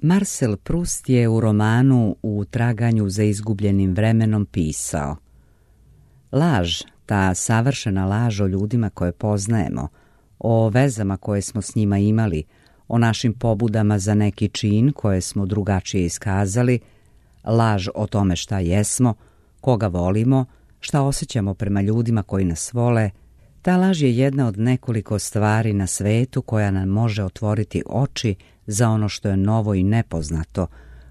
Marcel Proust je u romanu U traganju za izgubljenim vremenom pisao: laž, ta savršena laž o ljudima koje poznajemo, o vezama koje smo s njima imali, o našim pobudama za neki čin koje smo drugačije iskazali, laž o tome šta jesmo, koga volimo, šta osjećamo prema ljudima koji nas vole. Ta laž je jedna od nekoliko stvari na svetu koja nam može otvoriti oči za ono što je novo i nepoznato,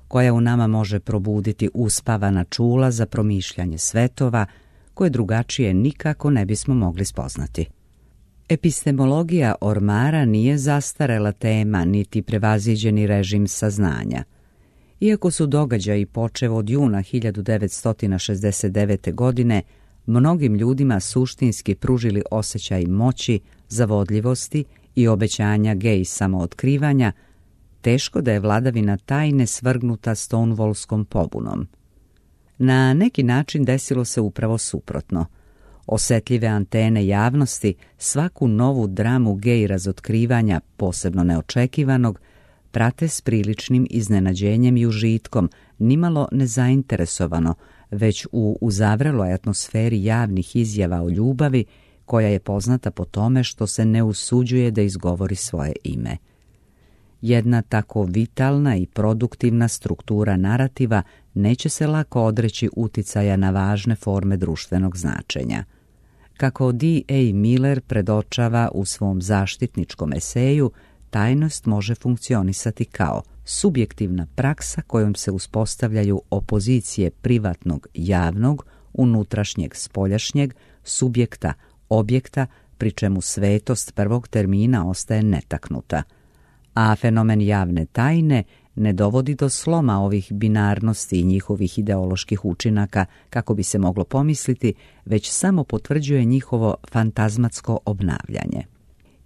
koja u nama može probuditi uspavana čula za promišljanje svetova koje drugačije nikako ne bismo mogli spoznati. Epistemologija ormara nije zastarela tema niti prevaziđeni režim saznanja. Iako su događaji počev od juna 1969. godine mnogim ljudima suštinski pružili osjećaj moći, zavodljivosti i obećanja gej samootkrivanja, teško da je vladavina tajne svrgnuta Stonewallskom pobunom. Na neki način desilo se upravo suprotno. Osetljive antene javnosti svaku novu dramu gej razotkrivanja, posebno neočekivanog, prate s priličnim iznenađenjem i užitkom, nimalo nezainteresovano, već u uzavreloj atmosferi javnih izjava o ljubavi, koja je poznata po tome što se ne usuđuje da izgovori svoje ime. Jedna tako vitalna i produktivna struktura narativa neće se lako odreći uticaja na važne forme društvenog značenja. Kako D.A. Miller predočava u svom zaštitničkom eseju, tajnost može funkcionisati kao subjektivna praksa kojom se uspostavljaju opozicije privatnog javnog, unutrašnjeg spoljašnjeg, subjekta objekta, pri čemu svetost prvog termina ostaje netaknuta. A fenomen javne tajne ne dovodi do sloma ovih binarnosti i njihovih ideoloških učinaka, kako bi se moglo pomisliti, već samo potvrđuje njihovo fantazmatsko obnavljanje.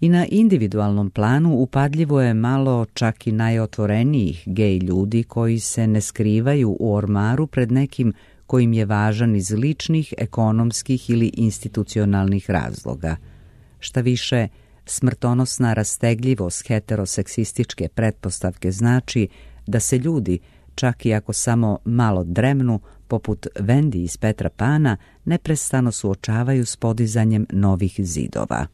I na individualnom planu upadljivo je malo čak i najotvorenijih gej ljudi koji se ne skrivaju u ormaru pred nekim kojim je važan iz ličnih, ekonomskih ili institucionalnih razloga. Šta više, smrtonosna rastegljivost heteroseksističke pretpostavke znači da se ljudi, čak i ako samo malo dremnu, poput Vendi iz Petra Pana, neprestano suočavaju s podizanjem novih zidova.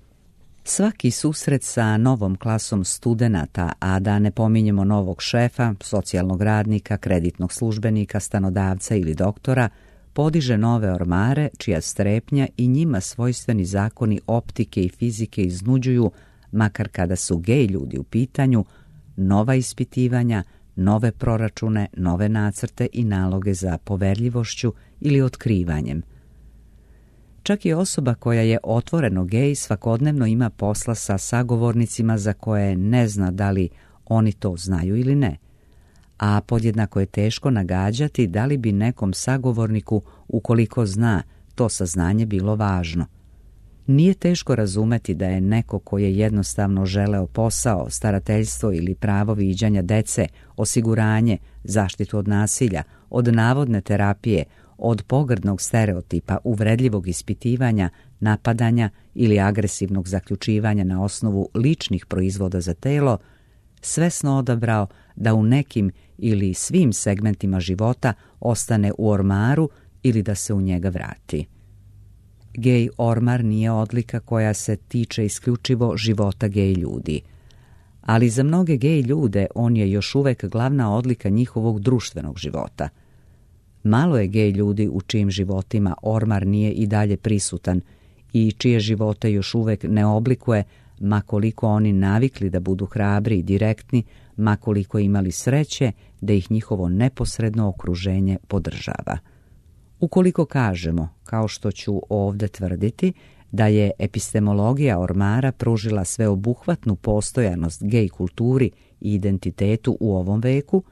Svaki susret sa novom klasom studenata, a da ne pominjemo novog šefa, socijalnog radnika, kreditnog službenika, stanodavca ili doktora, podiže nove ormare čija strepnja i njima svojstveni zakoni optike i fizike iznuđuju, makar kada su gej ljudi u pitanju, nova ispitivanja, nove proračune, nove nacrte i naloge za poverljivošću ili otkrivanjem. Čak i osoba koja je otvoreno gej svakodnevno ima posla sa sagovornicima za koje ne zna da li oni to znaju ili ne. A podjednako je teško nagađati da li bi nekom sagovorniku, ukoliko zna, to saznanje bilo važno. Nije teško razumeti da je neko ko je jednostavno želeo posao, starateljstvo ili pravo viđanja dece, osiguranje, zaštitu od nasilja, od navodne terapije, od pogrdnog stereotipa, uvredljivog ispitivanja, napadanja ili agresivnog zaključivanja na osnovu ličnih proizvoda za telo, svesno odabrao da u nekim ili svim segmentima života ostane u ormaru ili da se u njega vrati. Gej ormar nije odlika koja se tiče isključivo života gej ljudi, ali za mnoge gej ljude on je još uvek glavna odlika njihovog društvenog života. Malo je gej ljudi u čijim životima ormar nije i dalje prisutan i čije živote još uvek ne oblikuje, ma koliko oni navikli da budu hrabri i direktni, ma koliko imali sreće da ih njihovo neposredno okruženje podržava. Ukoliko kažemo, kao što ću ovdje tvrditi, da je epistemologija ormara pružila sveobuhvatnu postojanost gej kulturi i identitetu u ovom veku,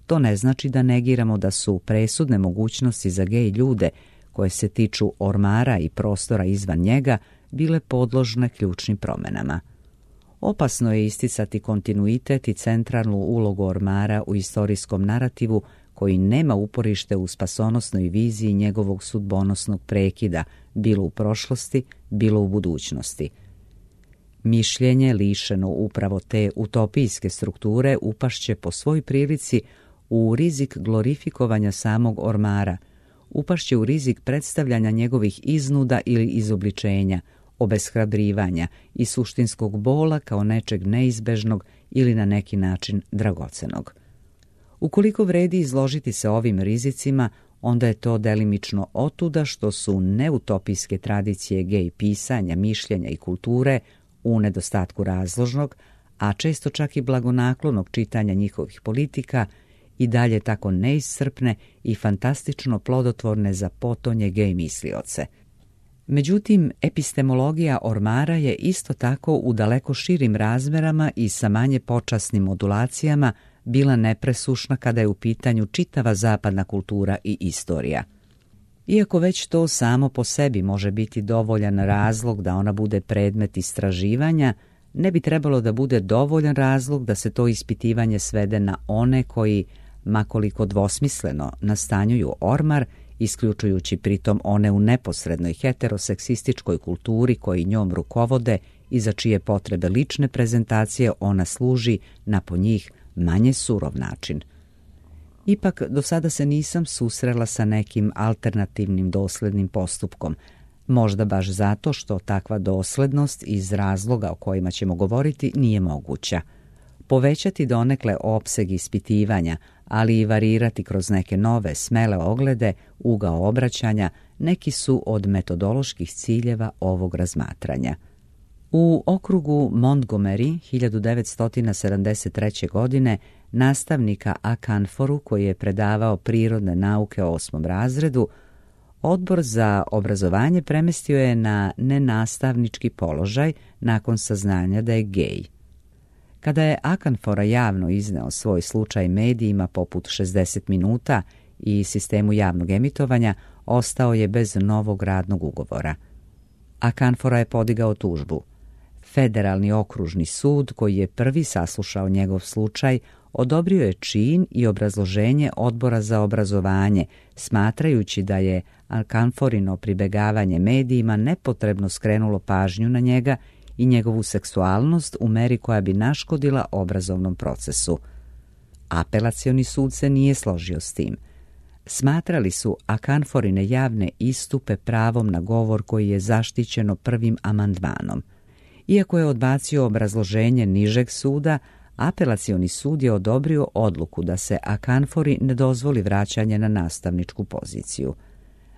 to ne znači da negiramo da su presudne mogućnosti za gej ljude koje se tiču ormara i prostora izvan njega bile podložne ključnim promjenama. Opasno je isticati kontinuitet i centralnu ulogu ormara u istorijskom narativu koji nema uporište u spasonosnoj viziji njegovog sudbonosnog prekida, bilo u prošlosti, bilo u budućnosti. Mišljenje lišeno upravo te utopijske strukture upašće po svoj prilici u rizik glorifikovanja samog ormara, upašće u rizik predstavljanja njegovih iznuda ili izobličenja, obeshrabrivanja i suštinskog bola kao nečeg neizbežnog ili na neki način dragocenog. Ukoliko vredi izložiti se ovim rizicima, onda je to delimično otuda što su neutopijske tradicije gej pisanja, mišljenja i kulture u nedostatku razložnog, a često čak i blagonaklonog čitanja njihovih politika i dalje tako neiscrpne i fantastično plodotvorne za potonje gej mislioce. Međutim, epistemologija ormara je isto tako u daleko širim razmerama i sa manje počasnim modulacijama bila nepresušna kada je u pitanju čitava zapadna kultura i istorija. Iako već to samo po sebi može biti dovoljan razlog da ona bude predmet istraživanja, ne bi trebalo da bude dovoljan razlog da se to ispitivanje svede na one koji, makoliko dvosmisleno, nastanjuju ormar, isključujući pritom one u neposrednoj heteroseksističkoj kulturi koji njom rukovode i za čije potrebe lične prezentacije ona služi na po njih manje surov način. Ipak, do sada se nisam susrela sa nekim alternativnim doslednim postupkom, možda baš zato što takva doslednost iz razloga o kojima ćemo govoriti nije moguća. Povećati donekle opseg ispitivanja, ali i varirati kroz neke nove, smele oglede, ugao obraćanja, neki su od metodoloških ciljeva ovog razmatranja. U okrugu Montgomery 1973. godine nastavnika A. Kanforu, koji je predavao prirodne nauke u 8. razredu, Odbor za obrazovanje premestio je na nenastavnički položaj nakon saznanja da je gej. Kada je Akanfora javno izneo svoj slučaj medijima poput 60 minuta i sistemu javnog emitovanja, ostao je bez novog radnog ugovora. Akanfora je podigao tužbu. Federalni okružni sud, koji je prvi saslušao njegov slučaj, odobrio je čin i obrazloženje Odbora za obrazovanje, smatrajući da je Akanforino pribegavanje medijima nepotrebno skrenulo pažnju na njega i njegovu seksualnost u meri koja bi naškodila obrazovnom procesu. Apelacioni sud se nije složio s tim. Smatrali su Akanforine javne istupe pravom na govor koji je zaštićeno prvim amandmanom. Iako je odbacio obrazloženje nižeg suda, apelacioni sud je odobrio odluku da se Akanfori ne dozvoli vraćanje na nastavničku poziciju.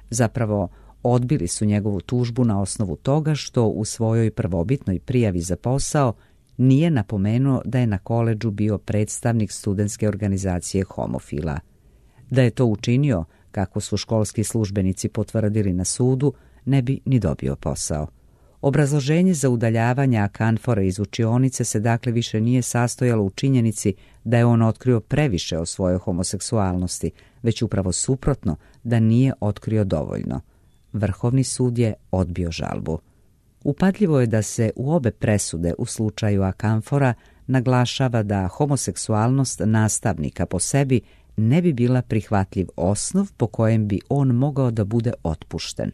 Zapravo, odbili su njegovu tužbu na osnovu toga što u svojoj prvobitnoj prijavi za posao nije napomenuo da je na koledžu bio predstavnik studentske organizacije homofila. Da je to učinio, kako su školski službenici potvrdili na sudu, ne bi ni dobio posao. Obrazloženje za udaljavanje Akanfora iz učionice se dakle više nije sastojalo u činjenici da je on otkrio previše o svojoj homoseksualnosti, već upravo suprotno, da nije otkrio dovoljno. Vrhovni sud je odbio žalbu. Upadljivo je da se u obe presude u slučaju Akanfora naglašava da homoseksualnost nastavnika po sebi ne bi bila prihvatljiv osnov po kojem bi on mogao da bude otpušten.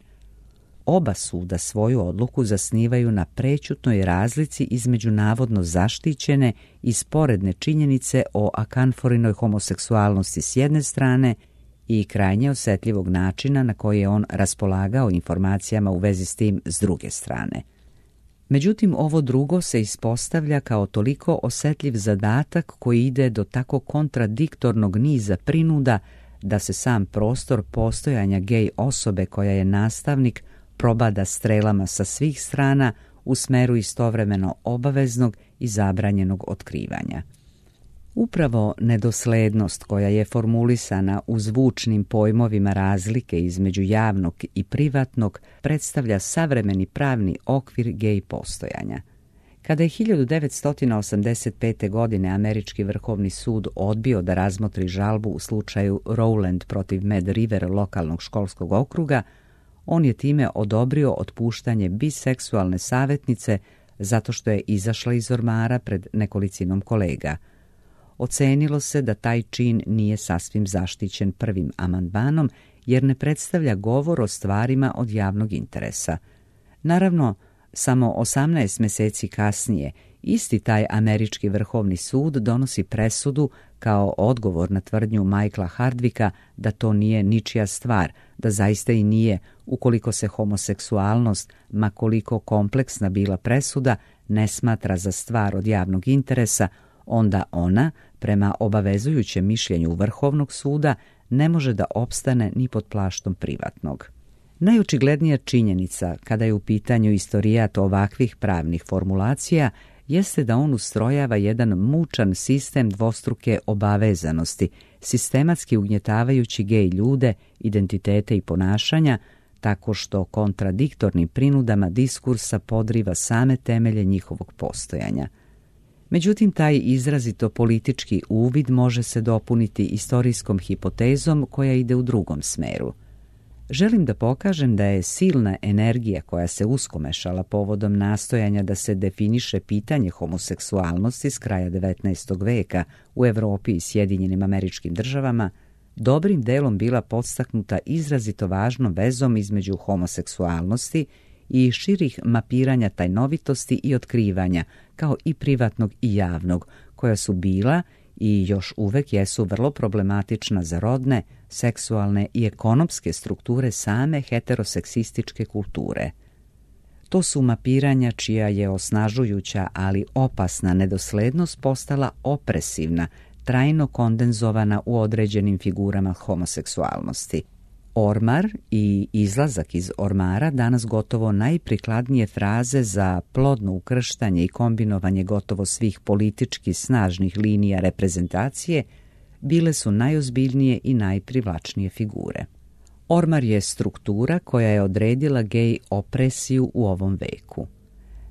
Oba suda svoju odluku zasnivaju na prećutnoj razlici između navodno zaštićene i sporedne činjenice o Akanforinoj homoseksualnosti s jedne strane i krajnje osjetljivog načina na koji je on raspolagao informacijama u vezi s tim s druge strane. Međutim, ovo drugo se ispostavlja kao toliko osjetljiv zadatak koji ide do tako kontradiktornog niza prinuda da se sam prostor postojanja gej osobe koja je nastavnik probada strelama sa svih strana u smeru istovremeno obaveznog i zabranjenog otkrivanja. Upravo nedoslednost koja je formulisana u zvučnim pojmovima razlike između javnog i privatnog predstavlja savremeni pravni okvir gej postojanja. Kada je 1985. godine Američki vrhovni sud odbio da razmotri žalbu u slučaju Rowland protiv Mad River lokalnog školskog okruga, on je time odobrio otpuštanje biseksualne savjetnice zato što je izašla iz ormara pred nekolicinom kolega. Ocenilo se da taj čin nije sasvim zaštićen prvim amandmanom jer ne predstavlja govor o stvarima od javnog interesa. Naravno, Samo 18 mjeseci kasnije isti taj američki vrhovni sud donosi presudu kao odgovor na tvrdnju Michaela Hardwicka da to nije ničija stvar, da zaista i nije, ukoliko se homoseksualnost, ma koliko kompleksna bila presuda, ne smatra za stvar od javnog interesa, onda ona, prema obavezujućem mišljenju Vrhovnog suda, ne može da opstane ni pod plaštom privatnog. Najočiglednija činjenica kada je u pitanju istorijat ovakvih pravnih formulacija jeste da on ustrojava jedan mučan sistem dvostruke obavezanosti, sistematski ugnjetavajući gej ljude, identitete i ponašanja, tako što kontradiktornim prinudama diskursa podriva same temelje njihovog postojanja. Međutim, taj izrazito politički uvid može se dopuniti istorijskom hipotezom koja ide u drugom smeru. Želim da pokažem da je silna energija koja se uskomešala povodom nastojanja da se definiše pitanje homoseksualnosti s kraja 19. veka u Europi i Sjedinjenim Američkim Državama dobrim delom bila podstaknuta izrazito važnom vezom između homoseksualnosti i širih mapiranja tajnovitosti i otkrivanja, kao i privatnog i javnog, koja su bila i još uvek jesu vrlo problematična za rodne, seksualne i ekonomske strukture same heteroseksističke kulture. To su mapiranja čija je osnažujuća, ali opasna nedoslednost postala opresivna, trajno kondenzovana u određenim figurama homoseksualnosti. Ormar i izlazak iz ormara, danas gotovo najprikladnije fraze za plodno ukrštanje i kombinovanje gotovo svih politički snažnih linija reprezentacije, bile su najozbiljnije i najprivlačnije figure. Ormar je struktura koja je odredila gej opresiju u ovom veku.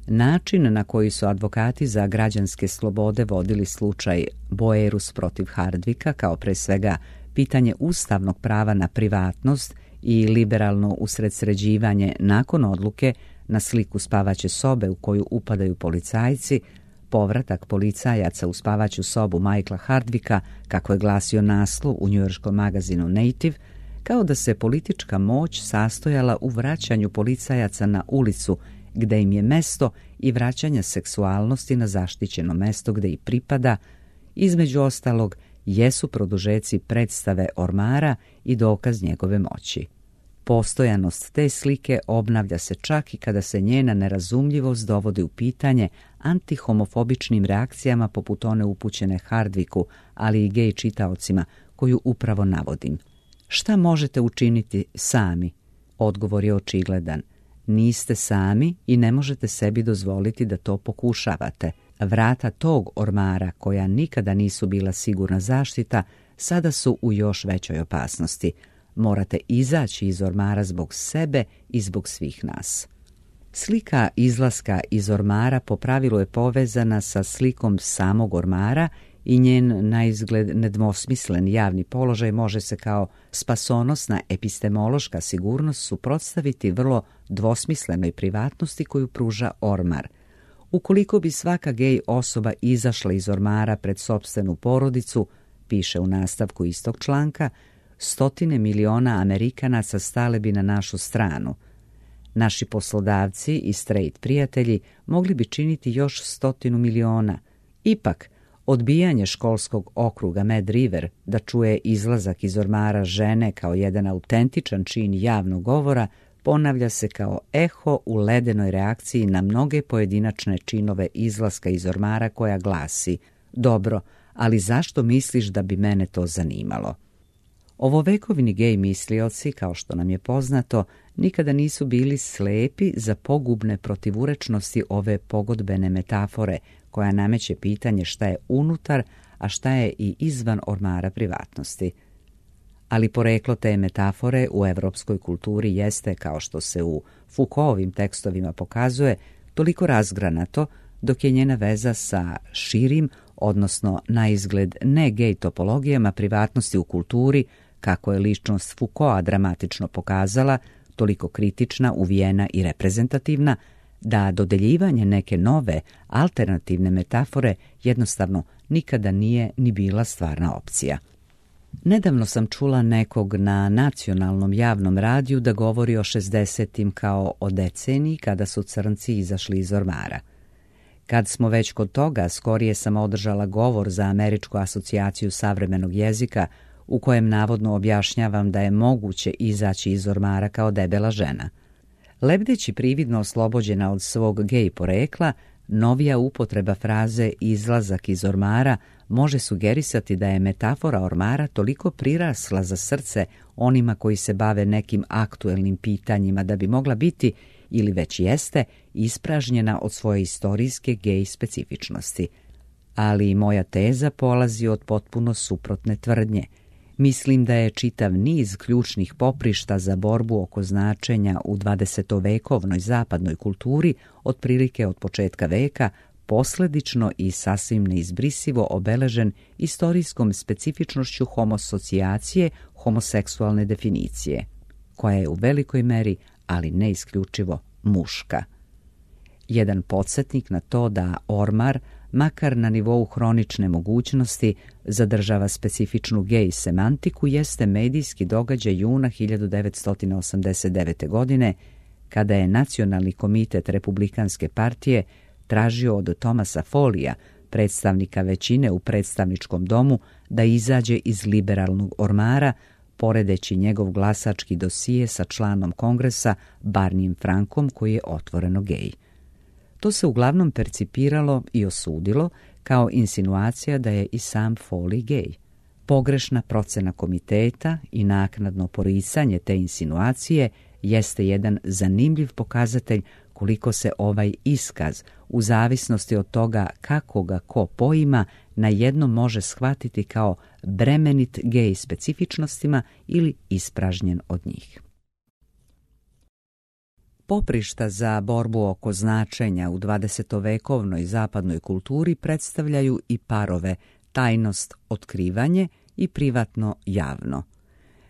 Način na koji su advokati za građanske slobode vodili slučaj Boerus protiv Hardwicka, kao pre svega pitanje ustavnog prava na privatnost i liberalno usredsređivanje nakon odluke na sliku spavaće sobe u koju upadaju policajci, povratak policajaca u spavaću sobu Michaela Hardwicka, kako je glasio naslov u njujorškom magazinu Native, kao da se politička moć sastojala u vraćanju policajaca na ulicu gde im je mesto i vraćanja seksualnosti na zaštićeno mesto gde i pripada, između ostalog, jesu produžeci predstave ormara i dokaz njegove moći. Postojanost te slike obnavlja se čak i kada se njena nerazumljivost dovodi u pitanje antihomofobičnim reakcijama poput one upućene Hardwicku, ali i gej čitaocima, koju upravo navodim. Šta možete učiniti sami? Odgovor je očigledan. Niste sami i ne možete sebi dozvoliti da to pokušavate. Vrata tog ormara, koja nikada nisu bila sigurna zaštita, sada su u još većoj opasnosti. Morate izaći iz ormara zbog sebe i zbog svih nas. Slika izlaska iz ormara po pravilu je povezana sa slikom samog ormara i njen naizgled nedvosmislen javni položaj može se kao spasonosna epistemološka sigurnost suprotstaviti vrlo dvosmislenoj privatnosti koju pruža ormar. Ukoliko bi svaka gej osoba izašla iz ormara pred sopstvenu porodicu, piše u nastavku istog članka, 100 miliona Amerikanaca stale bi na našu stranu. Naši poslodavci i straight prijatelji mogli bi činiti još 100 miliona. Ipak, odbijanje školskog okruga Mad River da čuje izlazak iz ormara žene kao jedan autentičan čin javnog govora ponavlja se kao eho u ledenoj reakciji na mnoge pojedinačne činove izlaska iz ormara koja glasi: dobro, ali zašto misliš da bi mene to zanimalo? Ovovekovni gej mislioci, kao što nam je poznato, nikada nisu bili slepi za pogubne protivurečnosti ove pogodbene metafore koja nameće pitanje šta je unutar, a šta je i izvan ormara privatnosti. Ali poreklo te metafore u evropskoj kulturi jeste, kao što se u Foucaultovim tekstovima pokazuje, toliko razgranato, dok je njena veza sa širim, odnosno naizgled ne gej topologijama privatnosti u kulturi, kako je ličnost Foucaulta dramatično pokazala, toliko kritična, uvijena i reprezentativna, da dodeljivanje neke nove, alternativne metafore jednostavno nikada nije ni bila stvarna opcija. Nedavno sam čula nekog na nacionalnom javnom radiju da govori o 60-im kao o deceniji kada su crnci izašli iz ormara. Kad smo već kod toga, skorije sam održala govor za Američku asocijaciju savremenog jezika u kojem navodno objašnjavam da je moguće izaći iz ormara kao debela žena. Lebdeći prividno oslobođena od svog gej porekla, novija upotreba fraze izlazak iz ormara može sugerisati da je metafora ormara toliko prirasla za srce onima koji se bave nekim aktuelnim pitanjima da bi mogla biti, ili već jeste, ispražnjena od svoje istorijske gej specifičnosti. Ali i moja teza polazi od potpuno suprotne tvrdnje. Mislim da je čitav niz ključnih poprišta za borbu oko značenja u 20-vekovnoj zapadnoj kulturi, otprilike od početka veka, posledično i sasvim neizbrisivo obeležen istorijskom specifičnošću homosocijacije, homoseksualne definicije, koja je u velikoj meri, ali ne isključivo, muška. Jedan podsjetnik na to da ormar, makar na nivou hronične mogućnosti, zadržava specifičnu gej semantiku, jeste medijski događaj juna 1989. godine, kada je Nacionalni komitet Republikanske partije tražio od Thomasa Follija, predstavnika većine u predstavničkom domu, da izađe iz liberalnog ormara, poredeći njegov glasački dosije sa članom kongresa Barnijem Frankom, koji je otvoreno gej. To se uglavnom percipiralo i osudilo kao insinuacija da je i sam Foley gej. Pogrešna procena komiteta i naknadno poricanje te insinuacije jeste jedan zanimljiv pokazatelj koliko se ovaj iskaz, u zavisnosti od toga kako ga ko poima, na jednom može shvatiti kao bremenit gej specifičnostima ili ispražnjen od njih. Poprišta za borbu oko značenja u 20-vekovnoj zapadnoj kulturi predstavljaju i parove tajnost, otkrivanje i privatno javno.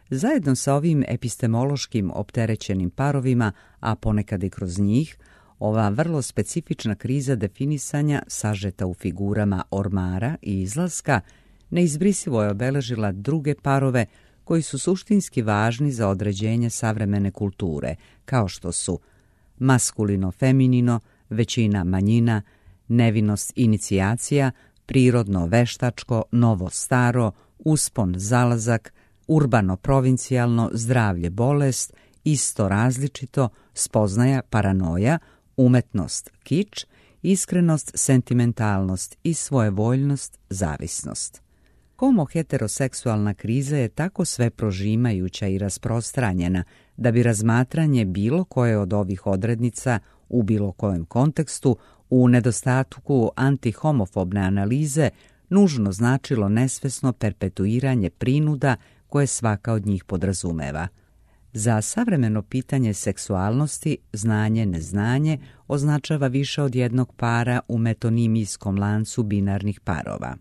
Zajedno sa ovim epistemološkim opterećenim parovima, a ponekad i kroz njih, ova vrlo specifična kriza definisanja sažeta u figurama ormara i izlaska neizbrisivo je obeležila druge parove koji su suštinski važni za određenje savremene kulture, kao što su maskulino-feminino, većina-manjina, nevinost-inicijacija, prirodno-veštačko, novo-staro, uspon-zalazak, urbano-provincijalno, zdravlje-bolest, isto-različito, spoznaja, paranoja, umetnost-kič, iskrenost, sentimentalnost i svojevoljnost, zavisnost. Homo-heteroseksualna kriza je tako sve prožimajuća i rasprostranjena da bi razmatranje bilo koje od ovih odrednica u bilo kojem kontekstu u nedostatku antihomofobne analize nužno značilo nesvesno perpetuiranje prinuda koje svaka od njih podrazumeva. Za savremeno pitanje seksualnosti znanje-neznanje označava više od jednog para u metonimijskom lancu binarnih parova.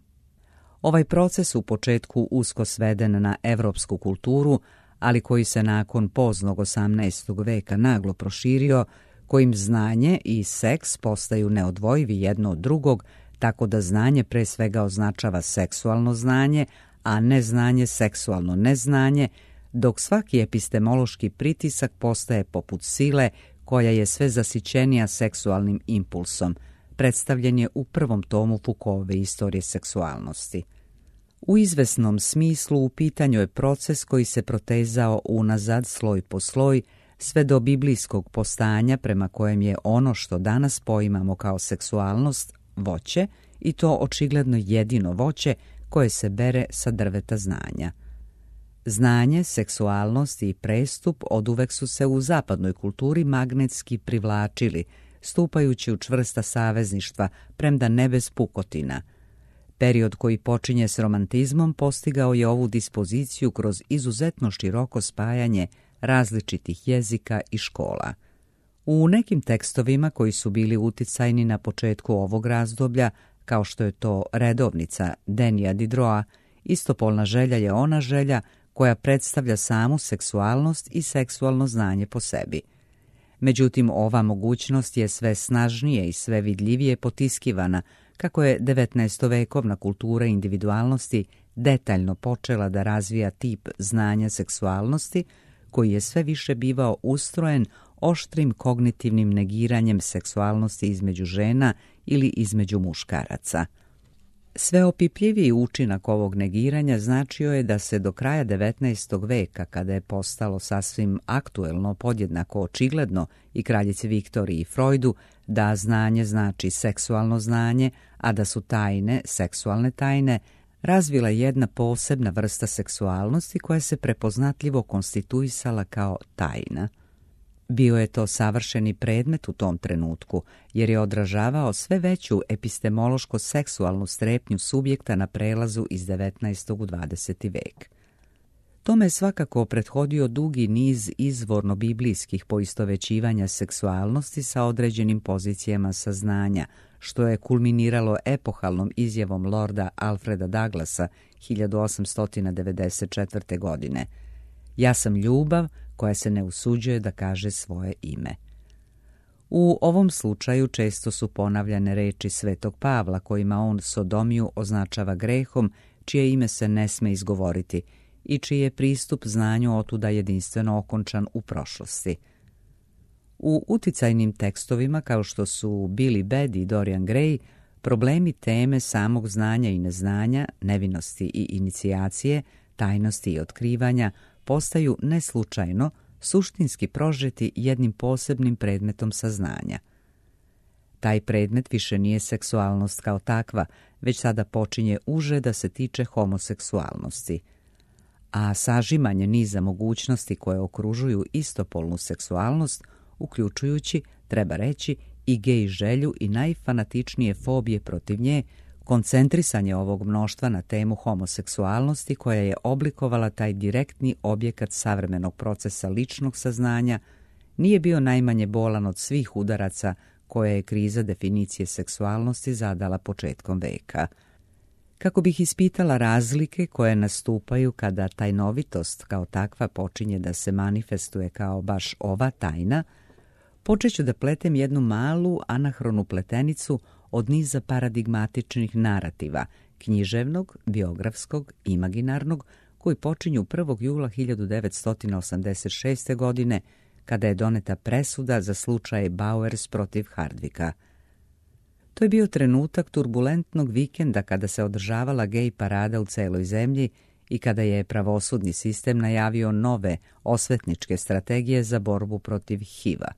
Ovaj proces u početku usko sveden na evropsku kulturu, ali koji se nakon poznog 18. veka naglo proširio, kojim znanje i seks postaju neodvojivi jedno od drugog, tako da znanje pre svega označava seksualno znanje, a neznanje seksualno neznanje, dok svaki epistemološki pritisak postaje poput sile koja je sve zasićenija seksualnim impulsom, predstavljen je u prvom tomu Foucaultove Istorije seksualnosti. U izvesnom smislu u pitanju je proces koji se protezao unazad sloj po sloj, sve do biblijskog postanja prema kojem je ono što danas poimamo kao seksualnost voće, i to očigledno jedino voće koje se bere sa drveta znanja. Znanje, seksualnost i prestup oduvek su se u zapadnoj kulturi magnetski privlačili, stupajući u čvrsta savezništva, premda ne bez pukotina. Period koji počinje s romantizmom postigao je ovu dispoziciju kroz izuzetno široko spajanje različitih jezika i škola. U nekim tekstovima koji su bili uticajni na početku ovog razdoblja, kao što je to redovnica Denija Diderota, istopolna želja je ona želja koja predstavlja samu seksualnost i seksualno znanje po sebi. Međutim, ova mogućnost je sve snažnije i sve vidljivije potiskivana, kako je 19-vekovna kultura individualnosti detaljno počela da razvija tip znanja seksualnosti koji je sve više bivao ustrojen oštrim kognitivnim negiranjem seksualnosti između žena ili između muškaraca. Sveopipljiviji učinak ovog negiranja značio je da se do kraja 19. veka, kada je postalo sasvim aktuelno, podjednako očigledno i kraljici Viktoriji i Freudu, da znanje znači seksualno znanje, a da su tajne, seksualne tajne, razvila jedna posebna vrsta seksualnosti koja se prepoznatljivo konstituisala kao tajna. Bio je to savršeni predmet u tom trenutku, jer je odražavao sve veću epistemološko-seksualnu strepnju subjekta na prelazu iz 19. u 20. vek. Tome je svakako prethodio dugi niz izvorno-biblijskih poistovećivanja seksualnosti sa određenim pozicijama saznanja, što je kulminiralo epohalnom izjavom lorda Alfreda Douglasa 1894. godine. Ja sam ljubav koja se ne usuđuje da kaže svoje ime. U ovom slučaju često su ponavljane reči Svetog Pavla kojima on sodomiju označava grehom čije ime se ne sme izgovoriti i čiji je pristup znanju otuda jedinstveno okončan u prošlosti. U uticajnim tekstovima kao što su Billy Budd i Dorian Gray, problemi teme samog znanja i neznanja, nevinosti i inicijacije, tajnosti i otkrivanja postaju neslučajno suštinski prožeti jednim posebnim predmetom saznanja. Taj predmet više nije seksualnost kao takva, već sada počinje uže da se tiče homoseksualnosti. A sažimanje niza mogućnosti koje okružuju istopolnu seksualnost, uključujući, treba reći, i gej želju i najfanatičnije fobije protiv nje, koncentrisanje ovog mnoštva na temu homoseksualnosti koja je oblikovala taj direktni objekat savremenog procesa ličnog saznanja, nije bio najmanje bolan od svih udaraca koje je kriza definicije seksualnosti zadala početkom veka. Kako bih ispitala razlike koje nastupaju kada tajnovitost kao takva počinje da se manifestuje kao baš ova tajna, počet ću da pletem jednu malu anahronu pletenicu od niza paradigmatičnih narativa, književnog, biografskog, imaginarnog, koji počinju 1. jula 1986. godine, kada je doneta presuda za slučaj Bowers protiv Hardwicka. To je bio trenutak turbulentnog vikenda kada se održavala gej parada u celoj zemlji i kada je pravosudni sistem najavio nove osvetničke strategije za borbu protiv HIV-a.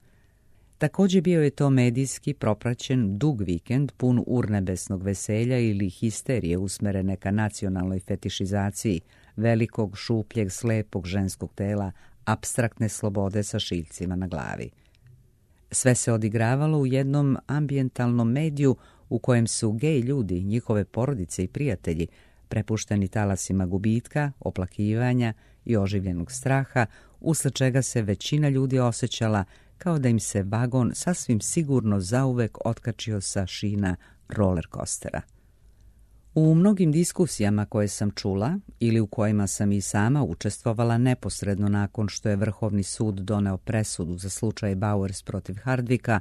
Također bio je to medijski propraćen dug vikend pun urnebesnog veselja ili histerije usmerene ka nacionalnoj fetišizaciji velikog, šupljeg, slepog ženskog tela, apstraktne slobode sa šiljcima na glavi. Sve se odigravalo u jednom ambijentalnom mediju u kojem su gej ljudi, njihove porodice i prijatelji prepušteni talasima gubitka, oplakivanja i oživljenog straha, usled čega se većina ljudi osjećala kao da im se vagon sasvim sigurno zauvek otkačio sa šina roller coastera. U mnogim diskusijama koje sam čula ili u kojima sam i sama učestvovala neposredno nakon što je Vrhovni sud doneo presudu za slučaj Bowers protiv Hardwicka,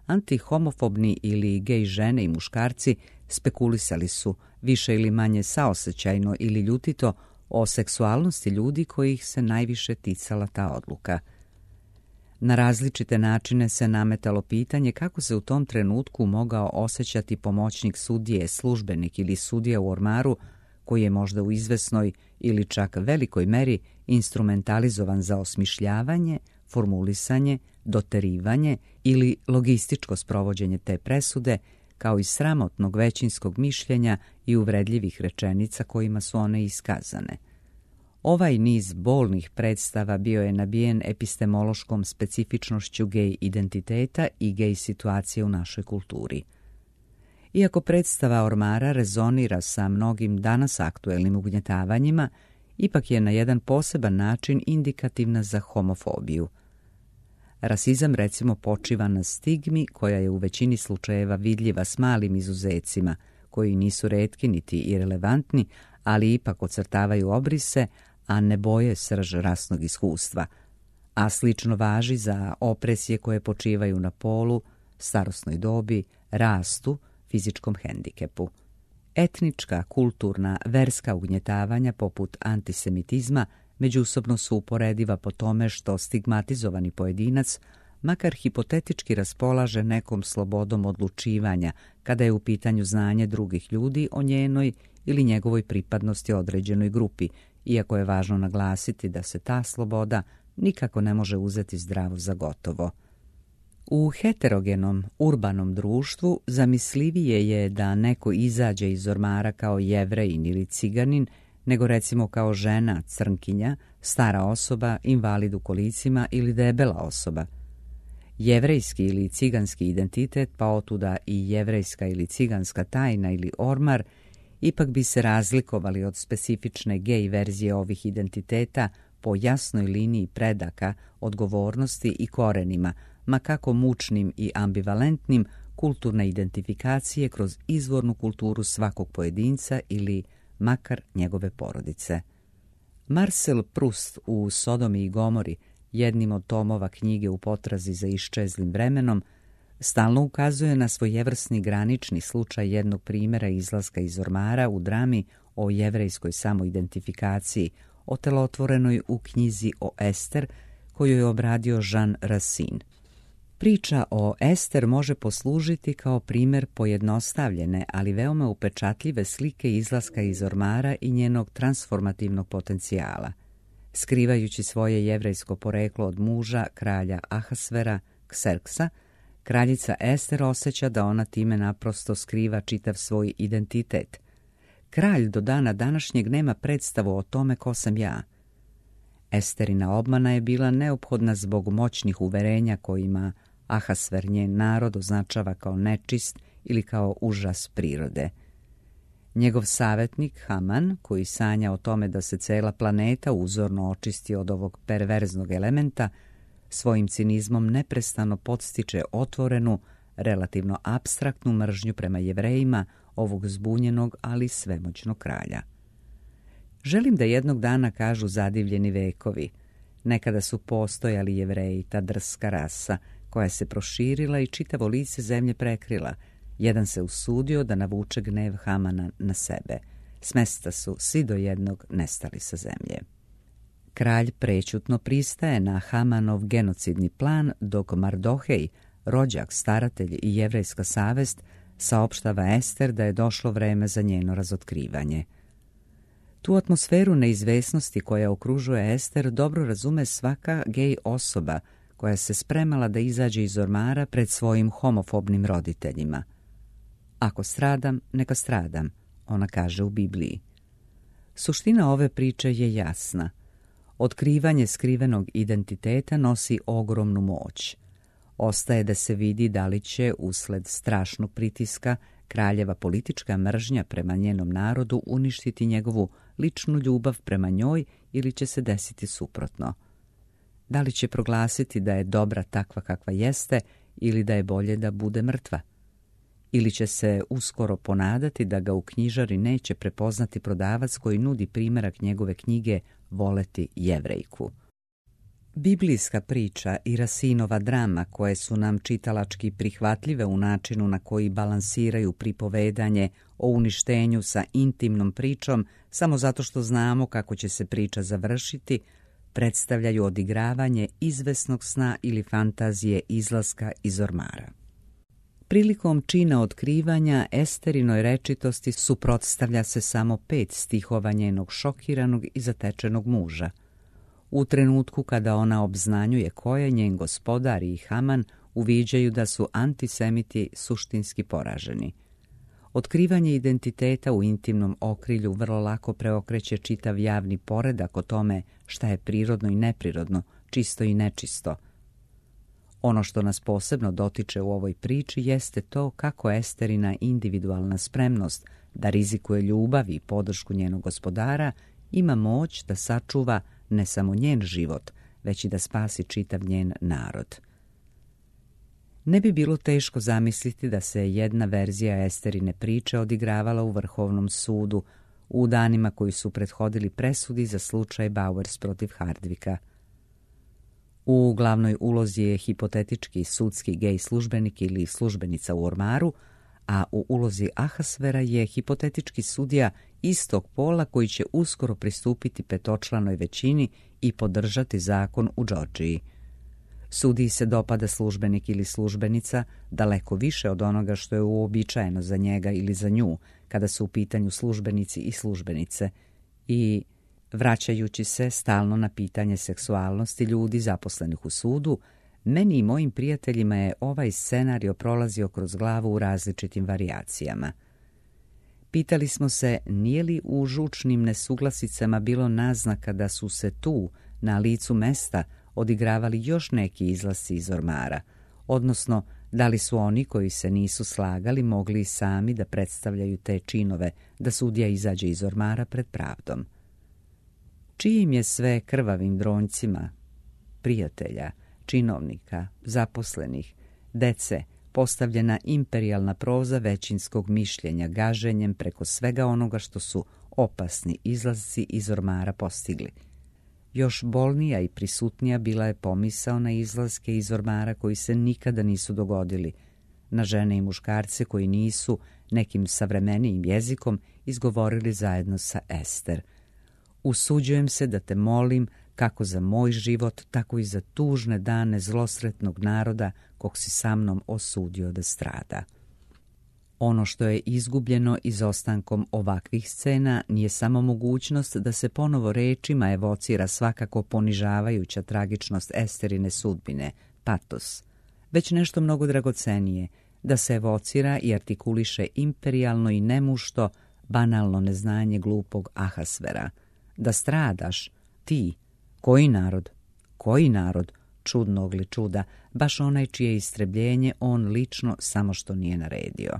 antihomofobni ili gej žene i muškarci spekulisali su više ili manje saosećajno ili ljutito o seksualnosti ljudi kojih se najviše ticala ta odluka. Na različite načine se nametalo pitanje kako se u tom trenutku mogao osjećati pomoćnik sudije, službenik ili sudija u ormaru koji je možda u izvesnoj ili čak velikoj meri instrumentalizovan za osmišljavanje, formulisanje, doterivanje ili logističko sprovođenje te presude, kao i sramotnog većinskog mišljenja i uvredljivih rečenica kojima su one iskazane. Ovaj niz bolnih predstava bio je nabijen epistemološkom specifičnošću gej identiteta i gej situacije u našoj kulturi. Iako predstava ormara rezonira sa mnogim danas aktuelnim ugnjetavanjima, ipak je na jedan poseban način indikativna za homofobiju. Rasizam recimo počiva na stigmi koja je u većini slučajeva vidljiva s malim izuzecima, koji nisu retki niti irelevantni, ali ipak ocrtavaju obrise, a ne boje srž rasnog iskustva, a slično važi za opresije koje počivaju na polu, starosnoj dobi, rastu, fizičkom hendikepu. Etnička, kulturna, verska ugnjetavanja poput antisemitizma međusobno su uporediva po tome što stigmatizovani pojedinac makar hipotetički raspolaže nekom slobodom odlučivanja kada je u pitanju znanje drugih ljudi o njenoj ili njegovoj pripadnosti određenoj grupi, iako je važno naglasiti da se ta sloboda nikako ne može uzeti zdravo za gotovo. U heterogenom, urbanom društvu zamislivije je da neko izađe iz ormara kao Jevrejin ili Ciganin, nego recimo kao žena, crnkinja, stara osoba, invalid u kolicima ili debela osoba. Jevrejski ili ciganski identitet, pa otuda i jevrejska ili ciganska tajna ili ormar, ipak bi se razlikovali od specifične gej verzije ovih identiteta po jasnoj liniji predaka, odgovornosti i korenima, ma kako mučnim i ambivalentnim, kulturne identifikacije kroz izvornu kulturu svakog pojedinca ili makar njegove porodice. Marcel Proust u Sodomi i Gomori, jednim od tomova knjige U potrazi za iščezlim vremenom, stalno ukazuje na svojevrsni granični slučaj jednog primjera izlaska iz ormara u drami o jevrejskoj samoidentifikaciji, otelotvorenoj u knjizi o Ester, koju je obradio Jean Racine. Priča o Ester može poslužiti kao primjer pojednostavljene, ali veoma upečatljive slike izlaska iz ormara i njenog transformativnog potencijala. Skrivajući svoje jevrejsko poreklo od muža, kralja Ahasvera, Kserksa, kraljica Ester osjeća da ona time naprosto skriva čitav svoj identitet. Kralj do dana današnjeg nema predstavu o tome ko sam ja. Esterina obmana je bila neophodna zbog moćnih uverenja kojima Ahasver njen narod označava kao nečist ili kao užas prirode. Njegov savjetnik Haman, koji sanja o tome da se cela planeta uzorno očisti od ovog perverznog elementa, svojim cinizmom neprestano podstiče otvorenu, relativno apstraktnu mržnju prema Jevrejima ovog zbunjenog, ali svemoćnog kralja. Želim da jednog dana kažu zadivljeni vekovi. Nekada su postojali Jevreji, ta drska rasa, koja se proširila i čitavo lice zemlje prekrila. Jedan se usudio da navuče gnev Hamana na sebe. Smesta su svi do jednog nestali sa zemlje. Kralj prećutno pristaje na Hamanov genocidni plan, dok Mardohej, rođak, staratelj i jevrejska savest, saopštava Ester da je došlo vreme za njeno razotkrivanje. Tu atmosferu neizvesnosti koja okružuje Ester dobro razume svaka gej osoba koja se spremala da izađe iz ormara pred svojim homofobnim roditeljima. Ako stradam, neka stradam, ona kaže u Bibliji. Suština ove priče je jasna. Otkrivanje skrivenog identiteta nosi ogromnu moć. Ostaje da se vidi da li će, usled strašnog pritiska, kraljeva politička mržnja prema njenom narodu uništiti njegovu ličnu ljubav prema njoj ili će se desiti suprotno. Da li će proglasiti da je dobra takva kakva jeste ili da je bolje da bude mrtva? Ili će se uskoro ponadati da ga u knjižari neće prepoznati prodavac koji nudi primjerak njegove knjige Voleti Jevrejku. Biblijska priča i Racinova drama, koje su nam čitalački prihvatljive u načinu na koji balansiraju pripovedanje o uništenju sa intimnom pričom samo zato što znamo kako će se priča završiti, predstavljaju odigravanje izvesnog sna ili fantazije izlaska iz ormara. Prilikom čina otkrivanja Esterinoj rečitosti suprotstavlja se samo 5 stihova njenog šokiranog i zatečenog muža. U trenutku kada ona obznanjuje ko je njen gospodar i Haman, uviđaju da su antisemiti suštinski poraženi. Otkrivanje identiteta u intimnom okrilju vrlo lako preokreće čitav javni poredak o tome šta je prirodno i neprirodno, čisto i nečisto. Ono što nas posebno dotiče u ovoj priči jeste to kako Esterina individualna spremnost da rizikuje ljubav i podršku njenog gospodara ima moć da sačuva ne samo njen život, već i da spasi čitav njen narod. Ne bi bilo teško zamisliti da se jedna verzija Esterine priče odigravala u Vrhovnom sudu u danima koji su prethodili presudi za slučaj Bowers protiv Hardwicka. U glavnoj ulozi je hipotetički sudski gej službenik ili službenica u ormaru, a u ulozi Ahasvera je hipotetički sudija istog pola koji će uskoro pristupiti petočlanoj većini i podržati zakon u Džordžiji. Sudiji se dopada službenik ili službenica daleko više od onoga što je uobičajeno za njega ili za nju kada su u pitanju službenici i službenice i, vraćajući se stalno na pitanje seksualnosti ljudi zaposlenih u sudu, meni i mojim prijateljima je ovaj scenario prolazio kroz glavu u različitim varijacijama. Pitali smo se nije li u žučnim nesuglasicama bilo naznaka da su se tu, na licu mesta, odigravali još neki izlasci iz ormara, odnosno da li su oni koji se nisu slagali mogli sami da predstavljaju te činove da sudija izađe iz ormara pred pravdom. Čijim je sve krvavim dronjcima, prijatelja, činovnika, zaposlenih, dece, postavljena imperijalna proza većinskog mišljenja gaženjem preko svega onoga što su opasni izlasci iz ormara postigli. Još bolnija i prisutnija bila je pomisao na izlaske iz ormara koji se nikada nisu dogodili, na žene i muškarce koji nisu nekim savremenijim jezikom izgovorili zajedno sa Ester. Usuđujem se da te molim kako za moj život, tako i za tužne dane zlosretnog naroda kog si sa mnom osudio da strada. Ono što je izgubljeno izostankom ovakvih scena nije samo mogućnost da se ponovo rečima evocira svakako ponižavajuća tragičnost Esterine sudbine, patos, već nešto mnogo dragocenije, da se evocira i artikuliše imperijalno i nemušto, banalno neznanje glupog Ahasvera. Da stradaš, ti, koji narod? Koji narod? Čudnog li čuda, baš onaj čije istrebljenje on lično samo što nije naredio.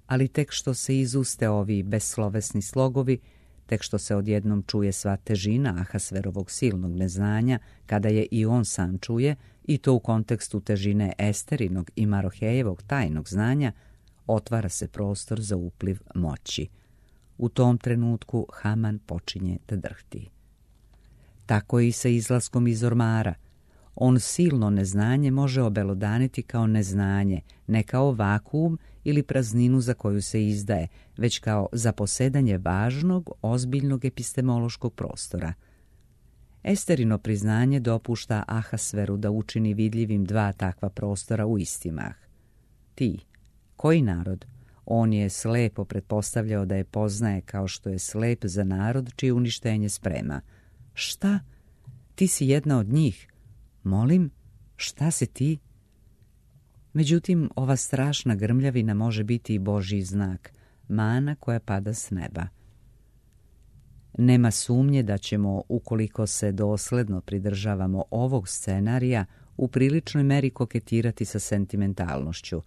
Ali tek što se izuste ovi beslovesni slogovi, tek što se odjednom čuje sva težina Ahasverovog silnog neznanja, kada je i on sam čuje, i to u kontekstu težine Esterinog i Marohejevog tajnog znanja, otvara se prostor za upliv moći. U tom trenutku Haman počinje da drhti. Tako je i sa izlaskom iz ormara. On silno neznanje može obelodaniti kao neznanje, ne kao vakuum ili prazninu za koju se izdaje, već kao zaposedanje važnog, ozbiljnog epistemološkog prostora. Esterino priznanje dopušta Ahasveru da učini vidljivim dva takva prostora u isti mah. Ti, koji narod? On je slepo pretpostavljao da je poznaje kao što je slep za narod čije uništenje sprema. Šta? Ti si jedna od njih. Molim, šta si ti? Međutim, ova strašna grmljavina može biti i Božji znak, mana koja pada s neba. Nema sumnje da ćemo, ukoliko se dosledno pridržavamo ovog scenarija, u priličnoj meri koketirati sa sentimentalnošću.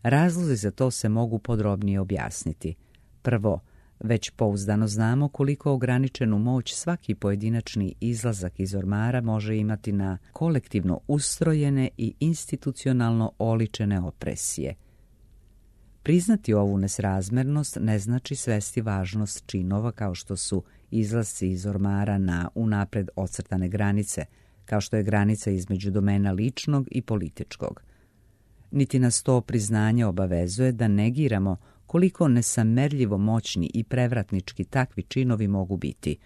Razlozi za to se mogu podrobnije objasniti. Prvo, već pouzdano znamo koliko ograničenu moć svaki pojedinačni izlazak iz ormara može imati na kolektivno ustrojene i institucionalno oličene opresije. Priznati ovu nesrazmernost ne znači svesti važnost činova kao što su izlasci iz ormara na unapred ocrtane granice, kao što je granica između domena ličnog i političkog. Niti nas to priznanje obavezuje da negiramo koliko nesamerljivo moćni i prevratnički takvi činovi mogu biti,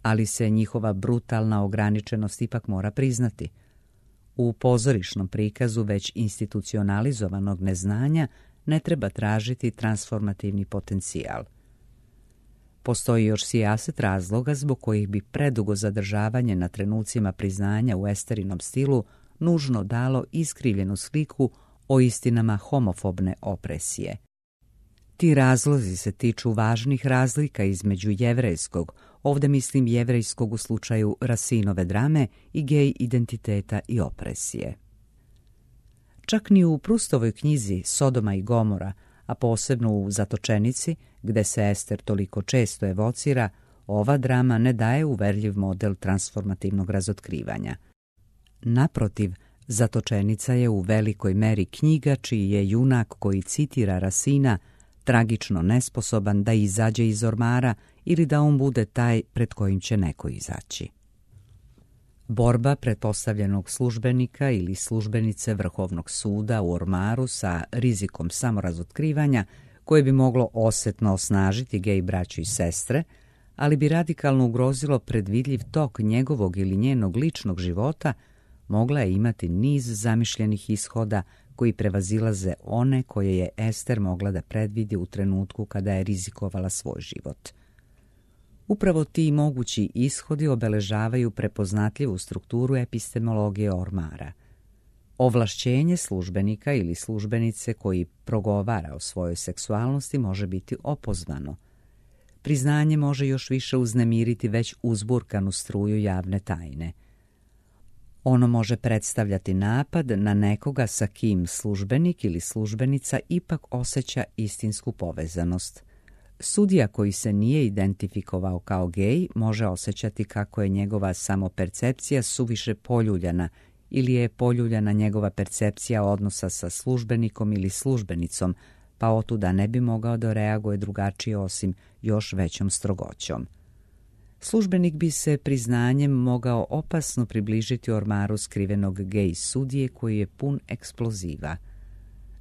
ali se njihova brutalna ograničenost ipak mora priznati. U pozorišnom prikazu već institucionalizovanog neznanja ne treba tražiti transformativni potencijal. Postoji još sijaset razloga zbog kojih bi predugo zadržavanje na trenucima priznanja u Esterinom stilu nužno dalo iskrivljenu sliku o istinama homofobne opresije. Ti razlozi se tiču važnih razlika između jevrejskog, ovdje mislim jevrejskog u slučaju Racinove drame, i gej identiteta i opresije. Čak ni u Prustovoj knjizi Sodoma i Gomora, a posebno u Zatočenici, gde se Ester toliko često evocira, ova drama ne daje uverljiv model transformativnog razotkrivanja. Naprotiv, Zatočenica je u velikoj meri knjiga čiji je junak koji citira Racina tragično nesposoban da izađe iz ormara ili da on bude taj pred kojim će neko izaći. Borba pretpostavljenog službenika ili službenice Vrhovnog suda u ormaru sa rizikom samorazotkrivanja koje bi moglo osjetno osnažiti gej braću i sestre, ali bi radikalno ugrozilo predvidljiv tok njegovog ili njenog ličnog života, mogla je imati niz zamišljenih ishoda koji prevazilaze one koje je Ester mogla da predvidi u trenutku kada je rizikovala svoj život. Upravo ti mogući ishodi obeležavaju prepoznatljivu strukturu epistemologije ormara. Ovlašćenje službenika ili službenice koji progovara o svojoj seksualnosti može biti opozvano. Priznanje može još više uznemiriti već uzburkanu struju javne tajne. Ono može predstavljati napad na nekoga sa kim službenik ili službenica ipak osjeća istinsku povezanost. Sudija koji se nije identifikovao kao gej može osjećati kako je njegova samopercepcija suviše poljuljana ili je poljuljana njegova percepcija odnosa sa službenikom ili službenicom, pa otuda ne bi mogao da reaguje drugačije osim još većom strogoćom. Službenik bi se priznanjem mogao opasno približiti ormaru skrivenog gej sudije koji je pun eksploziva.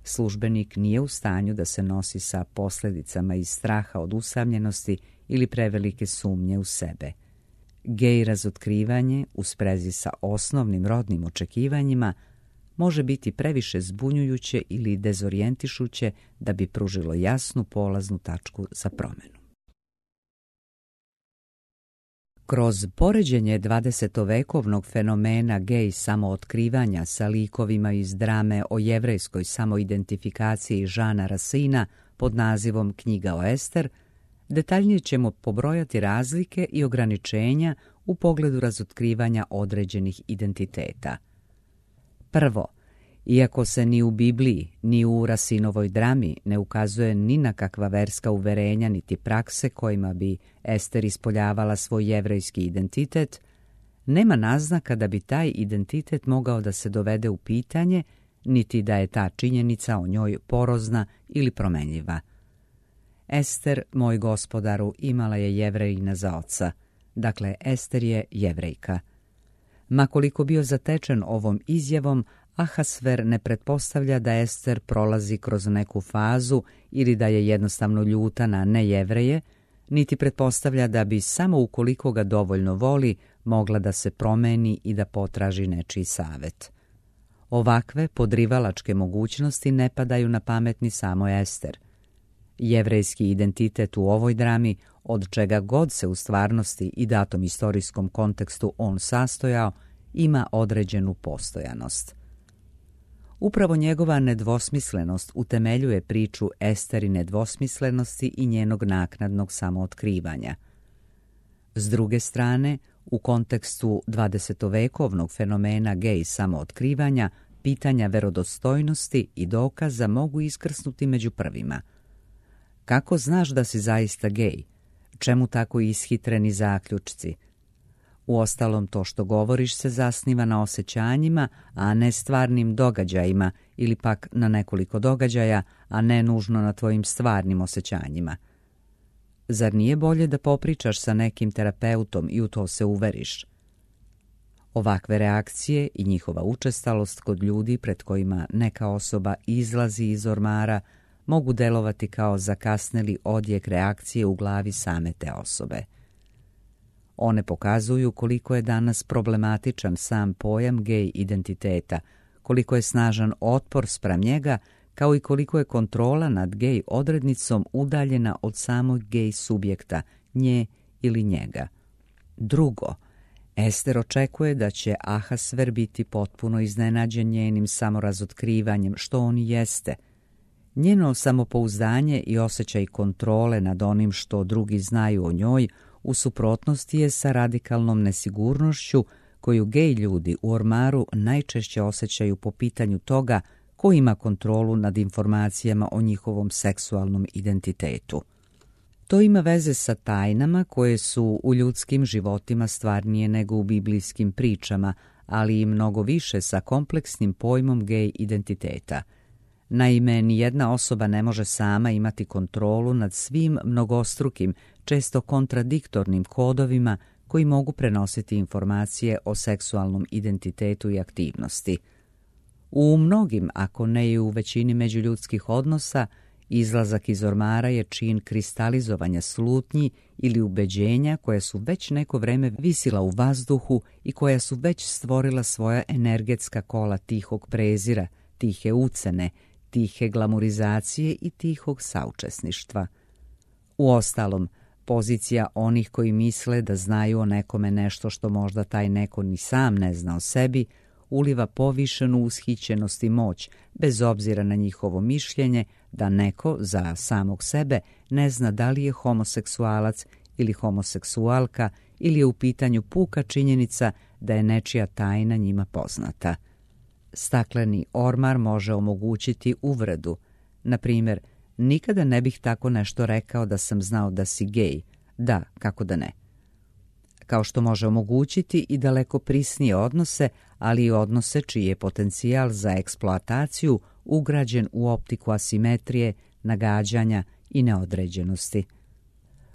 Službenik nije u stanju da se nosi sa posljedicama iz straha od usamljenosti ili prevelike sumnje u sebe. Gej razotkrivanje u sprezi sa osnovnim rodnim očekivanjima može biti previše zbunjujuće ili dezorijentišuće da bi pružilo jasnu polaznu tačku za promjenu. Kroz poređenje 20-vekovnog fenomena gej samootkrivanja sa likovima iz drame o jevrejskoj samoidentifikaciji Žana Rasina pod nazivom Knjiga o Ester, detaljnije ćemo pobrojati razlike i ograničenja u pogledu razotkrivanja određenih identiteta. Prvo, iako se ni u Bibliji, ni u Rasinovoj drami ne ukazuje ni na kakva verska uverenja niti prakse kojima bi Ester ispoljavala svoj jevrejski identitet, nema naznaka da bi taj identitet mogao da se dovede u pitanje, niti da je ta činjenica o njoj porozna ili promenljiva. Ester, moj gospodaru, imala je Jevrejina za oca, dakle Ester je Jevrejka. Ma koliko bio zatečen ovom izjavom, Ahasver ne pretpostavlja da Ester prolazi kroz neku fazu ili da je jednostavno ljuta na nejevreje, niti pretpostavlja da bi samo ukoliko ga dovoljno voli mogla da se promeni i da potraži nečiji savet. Ovakve podrivalačke mogućnosti ne padaju na pamet ni samo Ester. Jevrejski identitet u ovoj drami, od čega god se u stvarnosti i datom istorijskom kontekstu on sastojao, ima određenu postojanost. Upravo njegova nedvosmislenost utemeljuje priču Esterine dvosmislenosti i njenog naknadnog samootkrivanja. S druge strane, u kontekstu 20-vekovnog fenomena gej samootkrivanja, pitanja verodostojnosti i dokaza mogu iskrsnuti među prvima. Kako znaš da si zaista gej? Čemu tako ishitreni zaključci? Uostalom, to što govoriš se zasniva na osjećanjima, a ne stvarnim događajima, ili pak na nekoliko događaja, a ne nužno na tvojim stvarnim osjećanjima. Zar nije bolje da popričaš sa nekim terapeutom i u to se uveriš? Ovakve reakcije i njihova učestalost kod ljudi pred kojima neka osoba izlazi iz ormara mogu delovati kao zakasneli odjek reakcije u glavi same te osobe. One pokazuju koliko je danas problematičan sam pojam gej identiteta, koliko je snažan otpor spram njega, kao i koliko je kontrola nad gej odrednicom udaljena od samog gej subjekta, nje ili njega. Drugo, Ester očekuje da će Ahasver biti potpuno iznenađen njenim samorazotkrivanjem, što on i jeste. Njeno samopouzdanje i osjećaj kontrole nad onim što drugi znaju o njoj u suprotnosti je sa radikalnom nesigurnošću koju gej ljudi u ormaru najčešće osjećaju po pitanju toga ko ima kontrolu nad informacijama o njihovom seksualnom identitetu. To ima veze sa tajnama koje su u ljudskim životima stvarnije nego u biblijskim pričama, ali i mnogo više sa kompleksnim pojmom gej identiteta. Naime, nijedna osoba ne može sama imati kontrolu nad svim mnogostrukim, često kontradiktornim kodovima koji mogu prenositi informacije o seksualnom identitetu i aktivnosti. U mnogim, ako ne i u većini međuljudskih odnosa, izlazak iz ormara je čin kristalizovanja slutnji ili ubeđenja koja su već neko vreme visila u vazduhu i koja su već stvorila svoja energetska kola tihog prezira, tihe ucene, tihe glamurizacije i tihog saučesništva. Uostalom, pozicija onih koji misle da znaju o nekome nešto što možda taj neko ni sam ne zna o sebi, uliva povišenu ushićenost i moć, bez obzira na njihovo mišljenje da neko za samog sebe ne zna da li je homoseksualac ili homoseksualka ili je u pitanju puka činjenica da je nečija tajna njima poznata. Stakleni ormar može omogućiti uvredu. Na primjer, nikada ne bih tako nešto rekao da sam znao da si gej. Da, kako da ne. Kao što može omogućiti i daleko prisnije odnose, ali i odnose čiji je potencijal za eksploataciju ugrađen u optiku asimetrije, nagađanja i neodređenosti.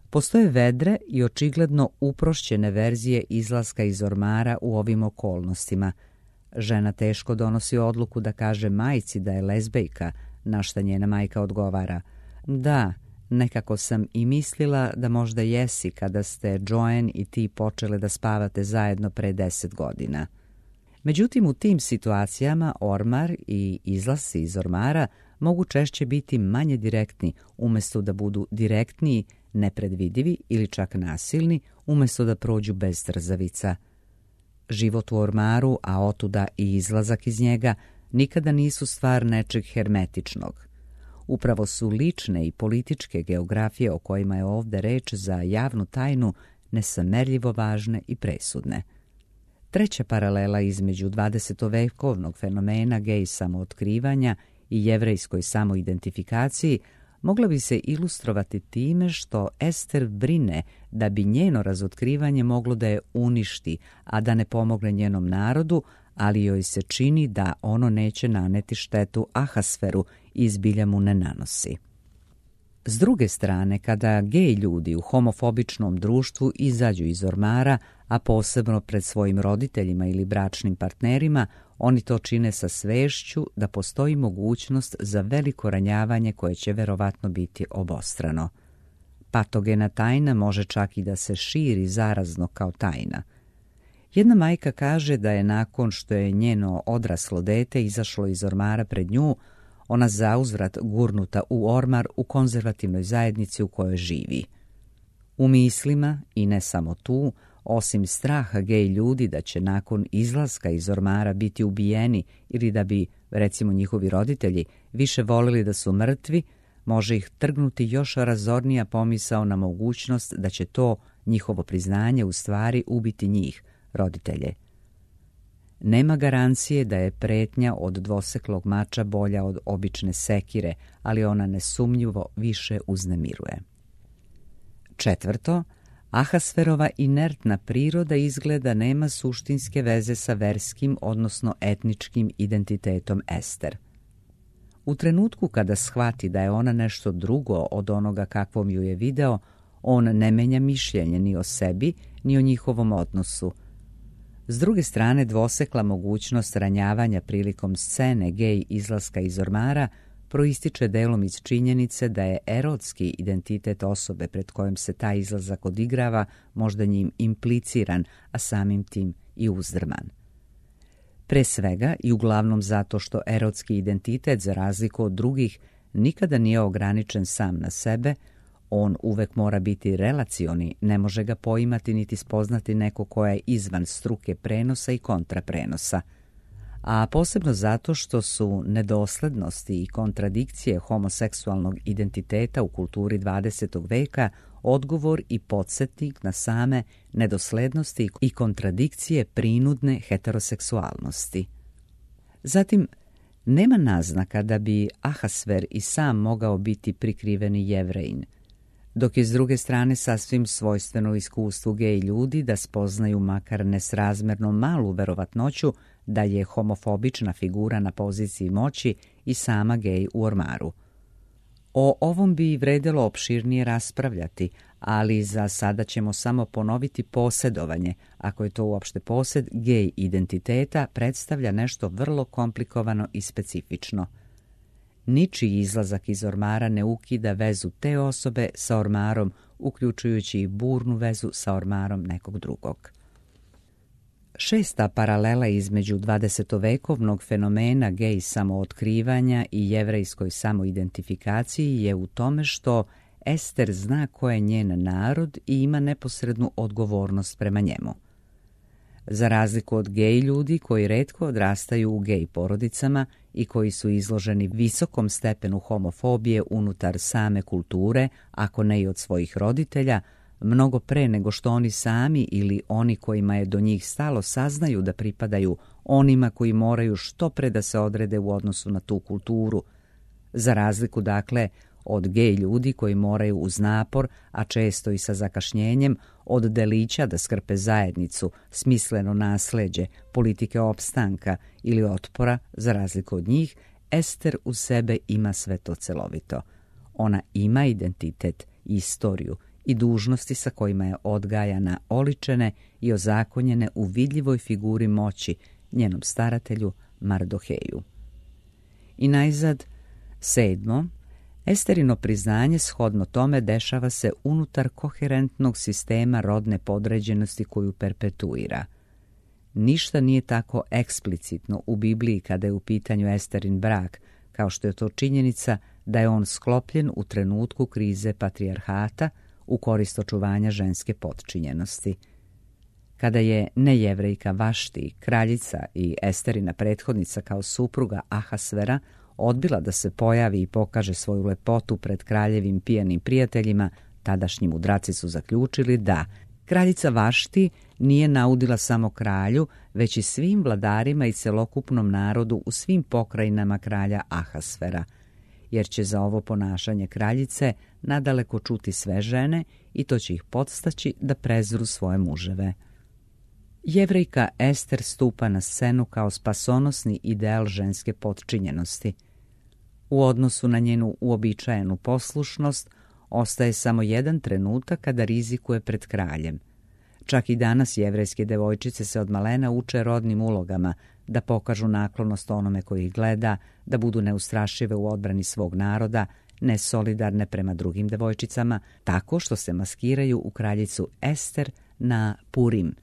Postoje vedre i očigledno uprošćene verzije izlaska iz ormara u ovim okolnostima. Žena teško donosi odluku da kaže majci da je lezbejka, na šta njena majka odgovara: da, nekako sam i mislila da možda jesi kada ste Joanne i ti počele da spavate zajedno pre 10 godina. Međutim, u tim situacijama ormar i izlasci iz ormara mogu češće biti manje direktni, umjesto da budu direktniji, nepredvidivi ili čak nasilni, umjesto da prođu bez trzavica. Život u ormaru, a otuda i izlazak iz njega, nikada nisu stvar nečeg hermetičnog. Upravo su lične i političke geografije o kojima je ovdje reč za javnu tajnu nesamerljivo važne i presudne. Treća paralela između 20-vekovnog fenomena gej samootkrivanja i jevrejskoj samoidentifikaciji mogla bi se ilustrovati time što Ester brine da bi njeno razotkrivanje moglo da je uništi, a da ne pomogne njenom narodu, ali joj se čini da ono neće naneti štetu Ahasferu i zbilja mu ne nanosi. S druge strane, kada gej ljudi u homofobičnom društvu izađu iz ormara, a posebno pred svojim roditeljima ili bračnim partnerima, oni to čine sa svešću da postoji mogućnost za veliko ranjavanje koje će verovatno biti obostrano. Patogena tajna može čak i da se širi zarazno kao tajna. Jedna majka kaže da je nakon što je njeno odraslo dete izašlo iz ormara pred nju, ona zauzvrat gurnuta u ormar u konzervativnoj zajednici u kojoj živi. U mislima, i ne samo tu, osim straha gej ljudi da će nakon izlaska iz ormara biti ubijeni ili da bi, recimo, njihovi roditelji više volili da su mrtvi, može ih trgnuti još razornija pomisao na mogućnost da će to njihovo priznanje u stvari ubiti njih, roditelje. Nema garancije da je pretnja od dvoseklog mača bolja od obične sekire, ali ona nesumnjivo više uznemiruje. Četvrto, Ahasferova inertna priroda izgleda nema suštinske veze sa verskim, odnosno etničkim identitetom Ester. U trenutku kada shvati da je ona nešto drugo od onoga kakvom ju je video, on ne menja mišljenje ni o sebi, ni o njihovom odnosu. S druge strane, dvosekla mogućnost ranjavanja prilikom scene gej izlaska iz ormara proističe delom iz činjenice da je erotski identitet osobe pred kojom se taj izlazak odigrava možda njim impliciran, a samim tim i uzdrman. Pre svega i uglavnom zato što erotski identitet, za razliku od drugih, nikada nije ograničen sam na sebe, on uvek mora biti relacioni, ne može ga poimati niti spoznati neko ko je izvan struke prenosa i kontraprenosa. A posebno zato što su nedoslednosti i kontradikcije homoseksualnog identiteta u kulturi 20. veka odgovor i podsjetnik na same nedoslednosti i kontradikcije prinudne heteroseksualnosti. Zatim, nema naznaka da bi Ahasver i sam mogao biti prikriveni Jevrejin, dok je s druge strane sasvim svojstveno iskustvu gej ljudi da spoznaju makar nesrazmerno malu verovatnoću da je homofobična figura na poziciji moći i sama gej u ormaru. O ovom bi vredelo opširnije raspravljati, ali za sada ćemo samo ponoviti posjedovanje, ako je to uopšte posjed gej identiteta, predstavlja nešto vrlo komplikovano i specifično. Ničiji izlazak iz ormara ne ukida vezu te osobe sa ormarom, uključujući i burnu vezu sa ormarom nekog drugog. Šesta paralela između 20-vekovnog fenomena gej samootkrivanja i jevrejskoj samoidentifikaciji je u tome što Ester zna ko je njen narod i ima neposrednu odgovornost prema njemu. Za razliku od gej ljudi koji retko odrastaju u gej porodicama i koji su izloženi visokom stepenu homofobije unutar same kulture, ako ne i od svojih roditelja, mnogo pre nego što oni sami ili oni kojima je do njih stalo saznaju da pripadaju onima koji moraju što pre da se odrede u odnosu na tu kulturu. Za razliku, dakle, od gej ljudi koji moraju uz napor, a često i sa zakašnjenjem, od delića da skrpe zajednicu, smisleno nasleđe, politike opstanka ili otpora, za razliku od njih, Ester u sebe ima sve to celovito. Ona ima identitet, istoriju i dužnosti sa kojima je odgajana, oličene i ozakonjene u vidljivoj figuri moći, njenom staratelju Mardoheju. I najzad, 7. Esterino priznanje shodno tome dešava se unutar koherentnog sistema rodne podređenosti koju perpetuira. Ništa nije tako eksplicitno u Bibliji kada je u pitanju Esterin brak, kao što je to činjenica da je on sklopljen u trenutku krize patrijarhata u korist očuvanja ženske potčinjenosti. Kada je nejevrejka Vašti, kraljica i Esterina prethodnica kao supruga Ahasvera, odbila da se pojavi i pokaže svoju lepotu pred kraljevim pijanim prijateljima, tadašnji mudraci su zaključili da kraljica Vašti nije naudila samo kralju, već i svim vladarima i celokupnom narodu u svim pokrajinama kralja Ahasvera, jer će za ovo ponašanje kraljice nadaleko čuti sve žene i to će ih podstaći da prezru svoje muževe. Jevrejka Ester stupa na scenu kao spasonosni ideal ženske potčinjenosti. U odnosu na njenu uobičajenu poslušnost ostaje samo jedan trenutak kada rizikuje pred kraljem. Čak i danas jevrejske devojčice se od malena uče rodnim ulogama, da pokažu naklonost onome koji ih gleda, da budu neustrašive u odbrani svog naroda, nesolidarne prema drugim devojčicama, tako što se maskiraju u kraljicu Ester na Purim.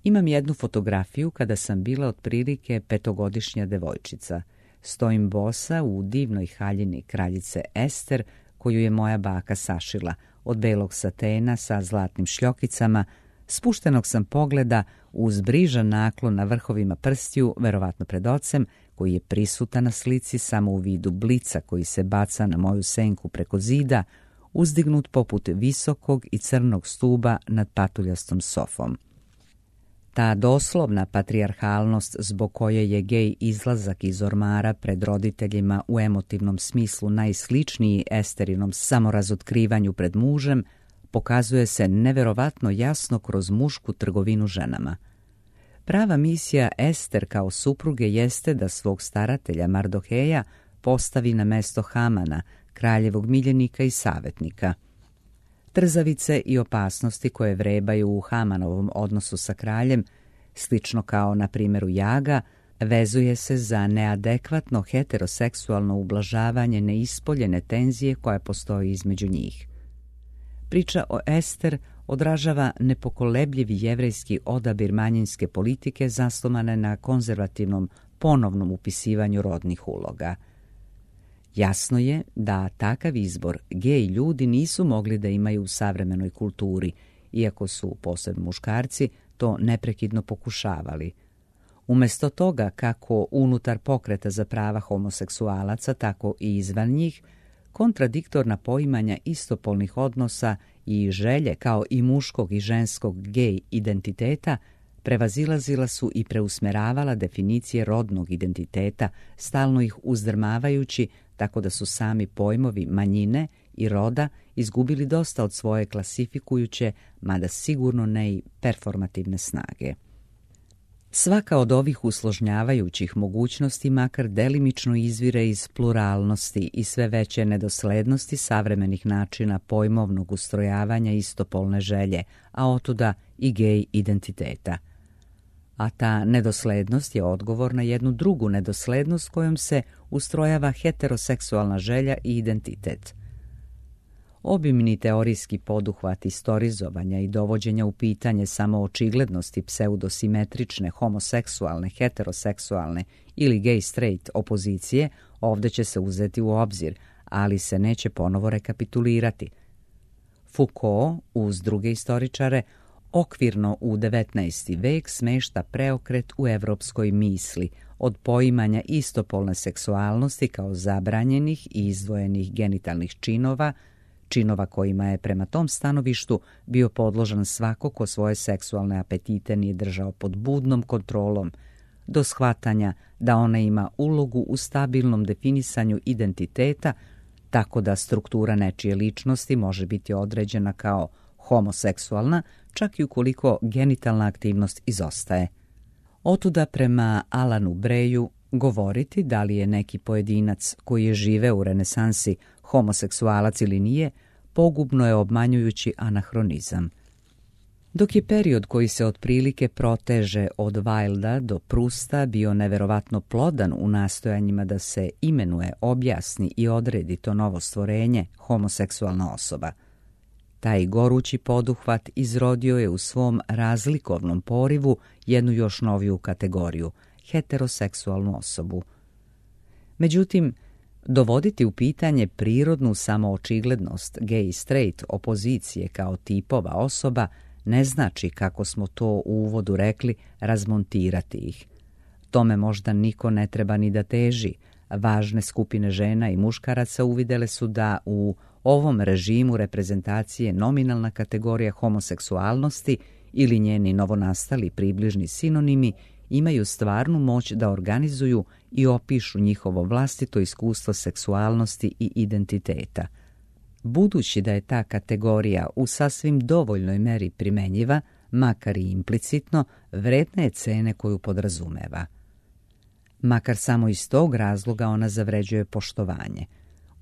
Imam jednu fotografiju kada sam bila otprilike 5-godišnja devojčica. Stojim bosa u divnoj haljini kraljice Ester, koju je moja baka sašila, od belog satena sa zlatnim šljokicama. Spuštenog sam pogleda uz brižan naklon na vrhovima prstiju, verovatno pred ocem, koji je prisutan na slici samo u vidu blica koji se baca na moju senku preko zida, uzdignut poput visokog i crnog stuba nad patuljastom sofom. Ta doslovna patrijarhalnost zbog koje je gej izlazak iz ormara pred roditeljima u emotivnom smislu najsličniji Esterinom samorazotkrivanju pred mužem, pokazuje se neverovatno jasno kroz mušku trgovinu ženama. Prava misija Ester kao supruge jeste da svog staratelja Mardoheja postavi na mesto Hamana, kraljevog miljenika i savjetnika. Trzavice i opasnosti koje vrebaju u Hamanovom odnosu sa kraljem, slično kao na primjeru Jaga, vezuje se za neadekvatno heteroseksualno ublažavanje neispoljene tenzije koja postoji između njih. Priča o Ester odražava nepokolebljivi jevrejski odabir manjinske politike zasnovane na konzervativnom ponovnom upisivanju rodnih uloga. Jasno je da takav izbor gej ljudi nisu mogli da imaju u savremenoj kulturi, iako su, posebno muškarci, to neprekidno pokušavali. Umjesto toga, kako unutar pokreta za prava homoseksualaca, tako i izvan njih, kontradiktorna poimanja istopolnih odnosa i želje kao i muškog i ženskog gej identiteta prevazilazila su i preusmeravala definicije rodnog identiteta, stalno ih uzdrmavajući, tako da su sami pojmovi manjine i roda izgubili dosta od svoje klasifikujuće, mada sigurno ne i performativne snage. Svaka od ovih usložnjavajućih mogućnosti makar delimično izvire iz pluralnosti i sve veće nedoslednosti savremenih načina pojmovnog ustrojavanja istopolne želje, a otuda i gej identiteta. A ta nedoslednost je odgovor na jednu drugu nedoslednost kojom se ustrojava heteroseksualna želja i identitet. Obimni teorijski poduhvat istorizovanja i dovođenja u pitanje samo očiglednosti pseudosimetrične, homoseksualne, heteroseksualne ili gay-straight opozicije ovdje će se uzeti u obzir, ali se neće ponovo rekapitulirati. Foucault, uz druge istoričare, okvirno u 19. vek smešta preokret u evropskoj misli, od poimanja istopolne seksualnosti kao zabranjenih i izdvojenih genitalnih činova kojima je prema tom stanovištu bio podložan svako ko svoje seksualne apetite nije držao pod budnom kontrolom, do shvatanja da ona ima ulogu u stabilnom definisanju identiteta, tako da struktura nečije ličnosti može biti određena kao homoseksualna, čak i ukoliko genitalna aktivnost izostaje. Otuda prema Alanu Breju govoriti da li je neki pojedinac koji je živeo u renesansi homoseksualac ili nije, pogubno je obmanjujući anahronizam. Dok je period koji se otprilike proteže od Wilda do Prusta bio neverovatno plodan u nastojanjima da se imenuje, objasni i odredi to novo stvorenje, homoseksualna osoba. Taj gorući poduhvat izrodio je u svom razlikovnom porivu jednu još noviju kategoriju, heteroseksualnu osobu. Međutim, dovoditi u pitanje prirodnu samoočiglednost gay-straight opozicije kao tipova osoba ne znači, kako smo to u uvodu rekli, razmontirati ih. Tome možda niko ne treba ni da teži. Važne skupine žena i muškaraca uvidele su da u ovom režimu reprezentacije nominalna kategorija homoseksualnosti ili njeni novonastali približni sinonimi imaju stvarnu moć da organizuju i opišu njihovo vlastito iskustvo seksualnosti i identiteta. Budući da je ta kategorija u sasvim dovoljnoj meri primenjiva, makar i implicitno, vredna je cene koju podrazumeva. Makar samo iz tog razloga ona zavređuje poštovanje.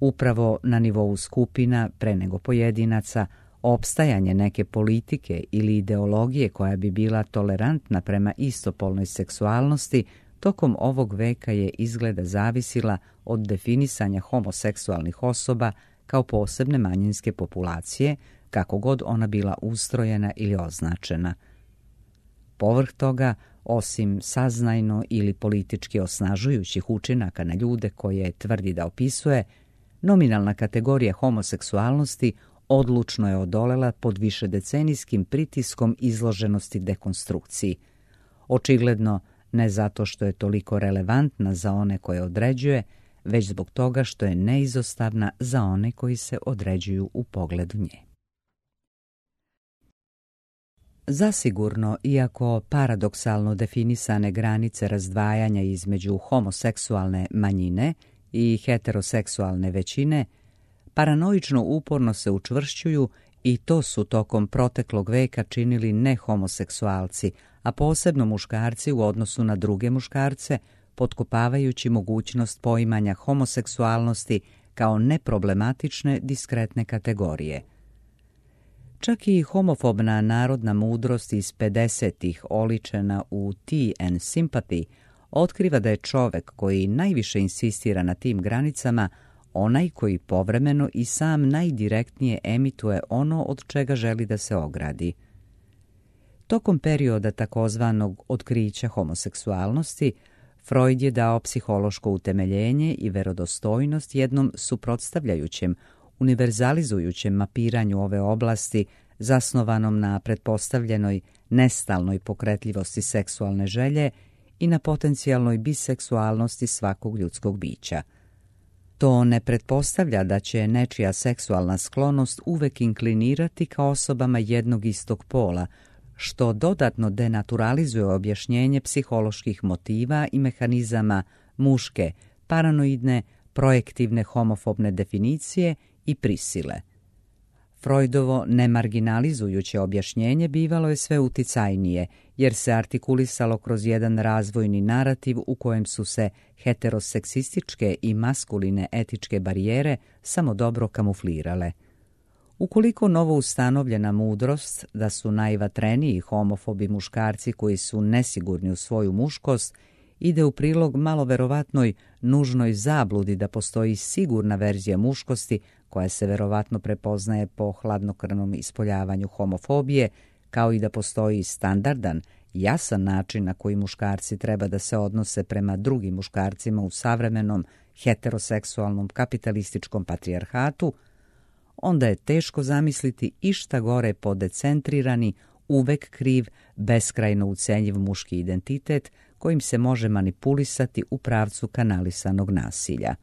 Upravo na nivou skupina, pre nego pojedinaca, opstajanje neke politike ili ideologije koja bi bila tolerantna prema istopolnoj seksualnosti tokom ovog veka je izgleda zavisila od definisanja homoseksualnih osoba kao posebne manjinske populacije, kako god ona bila ustrojena ili označena. Povrh toga, osim saznajno ili politički osnažujućih učinaka na ljude koje tvrdi da opisuje, nominalna kategorija homoseksualnosti odlučno je odolela pod višedecenijskim pritiskom izloženosti dekonstrukciji. Očigledno ne zato što je toliko relevantna za one koje određuje, već zbog toga što je neizostavna za one koji se određuju u pogledu nje. Zasigurno, iako paradoksalno definisane granice razdvajanja između homoseksualne manjine i heteroseksualne većine paranoično uporno se učvršćuju i to su tokom proteklog veka činili nehomoseksualci, a posebno muškarci u odnosu na druge muškarce, potkopavajući mogućnost poimanja homoseksualnosti kao neproblematične diskretne kategorije. Čak i homofobna narodna mudrost iz 50-ih oličena u Tea and Sympathy otkriva da je čovek koji najviše insistira na tim granicama onaj koji povremeno i sam najdirektnije emituje ono od čega želi da se ogradi. Tokom perioda takozvanog otkrića homoseksualnosti, Freud je dao psihološko utemeljenje i verodostojnost jednom suprotstavljajućem, univerzalizujućem mapiranju ove oblasti zasnovanom na pretpostavljenoj nestalnoj pokretljivosti seksualne želje i na potencijalnoj biseksualnosti svakog ljudskog bića. To ne pretpostavlja da će nečija seksualna sklonost uvek inklinirati ka osobama jednog istog pola, što dodatno denaturalizuje objašnjenje psiholoških motiva i mehanizama muške, paranoidne, projektivne homofobne definicije i prisile. Freudovo nemarginalizujuće objašnjenje bivalo je sve uticajnije, jer se artikulisalo kroz jedan razvojni narativ u kojem su se heteroseksističke i maskuline etičke barijere samo dobro kamuflirale. Ukoliko novo ustanovljena mudrost da su najvatreniji homofobi muškarci koji su nesigurni u svoju muškost ide u prilog malo verovatnoj nužnoj zabludi da postoji sigurna verzija muškosti koja se verovatno prepoznaje po hladnokrvnom ispoljavanju homofobije, kao i da postoji standardan, jasan način na koji muškarci treba da se odnose prema drugim muškarcima u savremenom heteroseksualnom kapitalističkom patrijarhatu, onda je teško zamisliti išta gore podecentrirani, uvek kriv, beskrajno ucenjiv muški identitet kojim se može manipulisati u pravcu kanalisanog nasilja.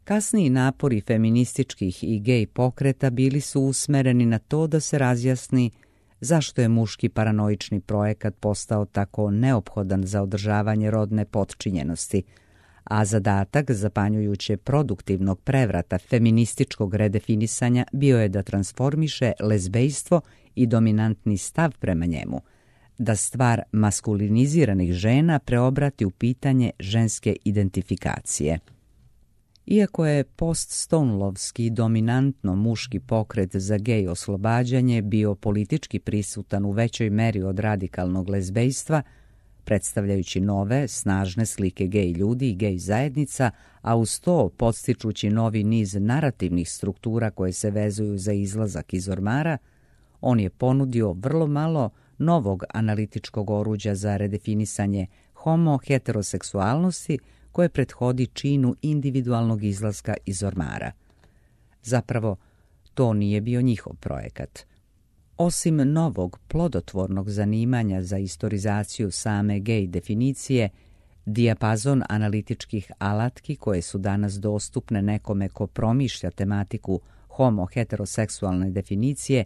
Kasniji napori feminističkih i gej pokreta bili su usmereni na to da se razjasni zašto je muški paranoični projekat postao tako neophodan za održavanje rodne potčinjenosti, a zadatak zapanjujuće produktivnog prevrata feminističkog redefinisanja bio je da transformiše lezbejstvo i dominantni stav prema njemu, da stvar maskuliniziranih žena preobrati u pitanje ženske identifikacije. Iako je post-Stonelovski dominantno muški pokret za gej oslobađanje bio politički prisutan u većoj meri od radikalnog lezbejstva, predstavljajući nove, snažne slike gej ljudi i gej zajednica, a uz to podstičući novi niz narativnih struktura koje se vezuju za izlazak iz ormara, on je ponudio vrlo malo novog analitičkog oruđa za redefinisanje homo-heteroseksualnosti koje prethodi činu individualnog izlaska iz ormara. Zapravo, to nije bio njihov projekat. Osim novog plodotvornog zanimanja za istorizaciju same gej definicije, dijapazon analitičkih alatki koje su danas dostupne nekome ko promišlja tematiku homo-heteroseksualne definicije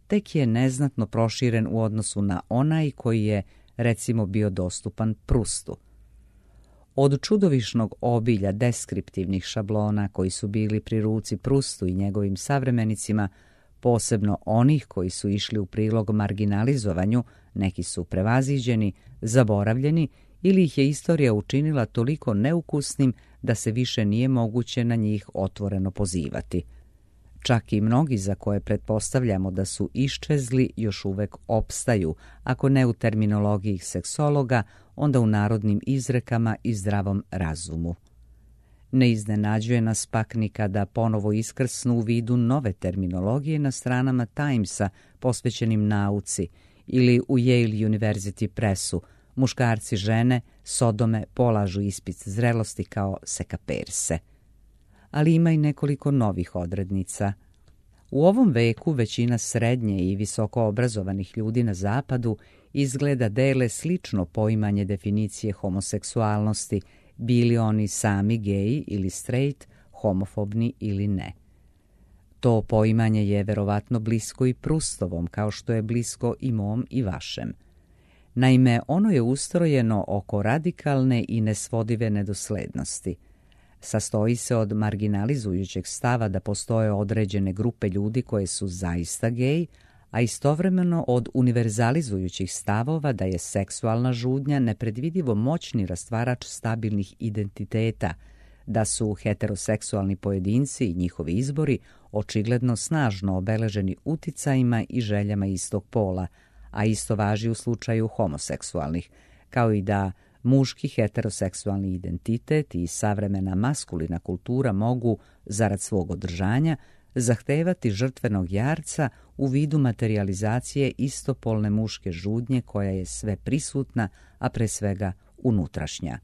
tek je neznatno proširen u odnosu na onaj koji je, recimo, bio dostupan Prustu. Od čudovišnog obilja deskriptivnih šablona koji su bili pri ruci Prustu i njegovim savremenicima, posebno onih koji su išli u prilog marginalizovanju, neki su prevaziđeni, zaboravljeni ili ih je istorija učinila toliko neukusnim da se više nije moguće na njih otvoreno pozivati. Čak i mnogi za koje pretpostavljamo da su iščezli još uvek opstaju, ako ne u terminologiji seksologa, onda u narodnim izrekama i zdravom razumu. Ne iznenađuje nas pak ni kada ponovo iskrsnu u vidu nove terminologije na stranama Timesa posvećenim nauci ili u Yale University Pressu muškarci žene sodome polažu ispit zrelosti kao sekaperse. Ali ima i nekoliko novih odrednica. U ovom veku većina srednje i visoko obrazovanih ljudi na zapadu izgleda dele slično poimanje definicije homoseksualnosti, bili oni sami geji ili straight, homofobni ili ne. To poimanje je verovatno blisko i Prustovom, kao što je blisko i mom i vašem. Naime, ono je ustrojeno oko radikalne i nesvodive nedoslednosti. Sastoji se od marginalizujućeg stava da postoje određene grupe ljudi koje su zaista gej, a istovremeno od univerzalizujućih stavova da je seksualna žudnja nepredvidivo moćni rastvarač stabilnih identiteta, da su heteroseksualni pojedinci i njihovi izbori očigledno snažno obeleženi uticajima i željama istog pola, a isto važi u slučaju homoseksualnih, kao i da muški heteroseksualni identitet i savremena maskulina kultura mogu, zarad svog održanja, zahtevati žrtvenog jarca u vidu materijalizacije istopolne muške žudnje koja je sve prisutna, a pre svega unutrašnja.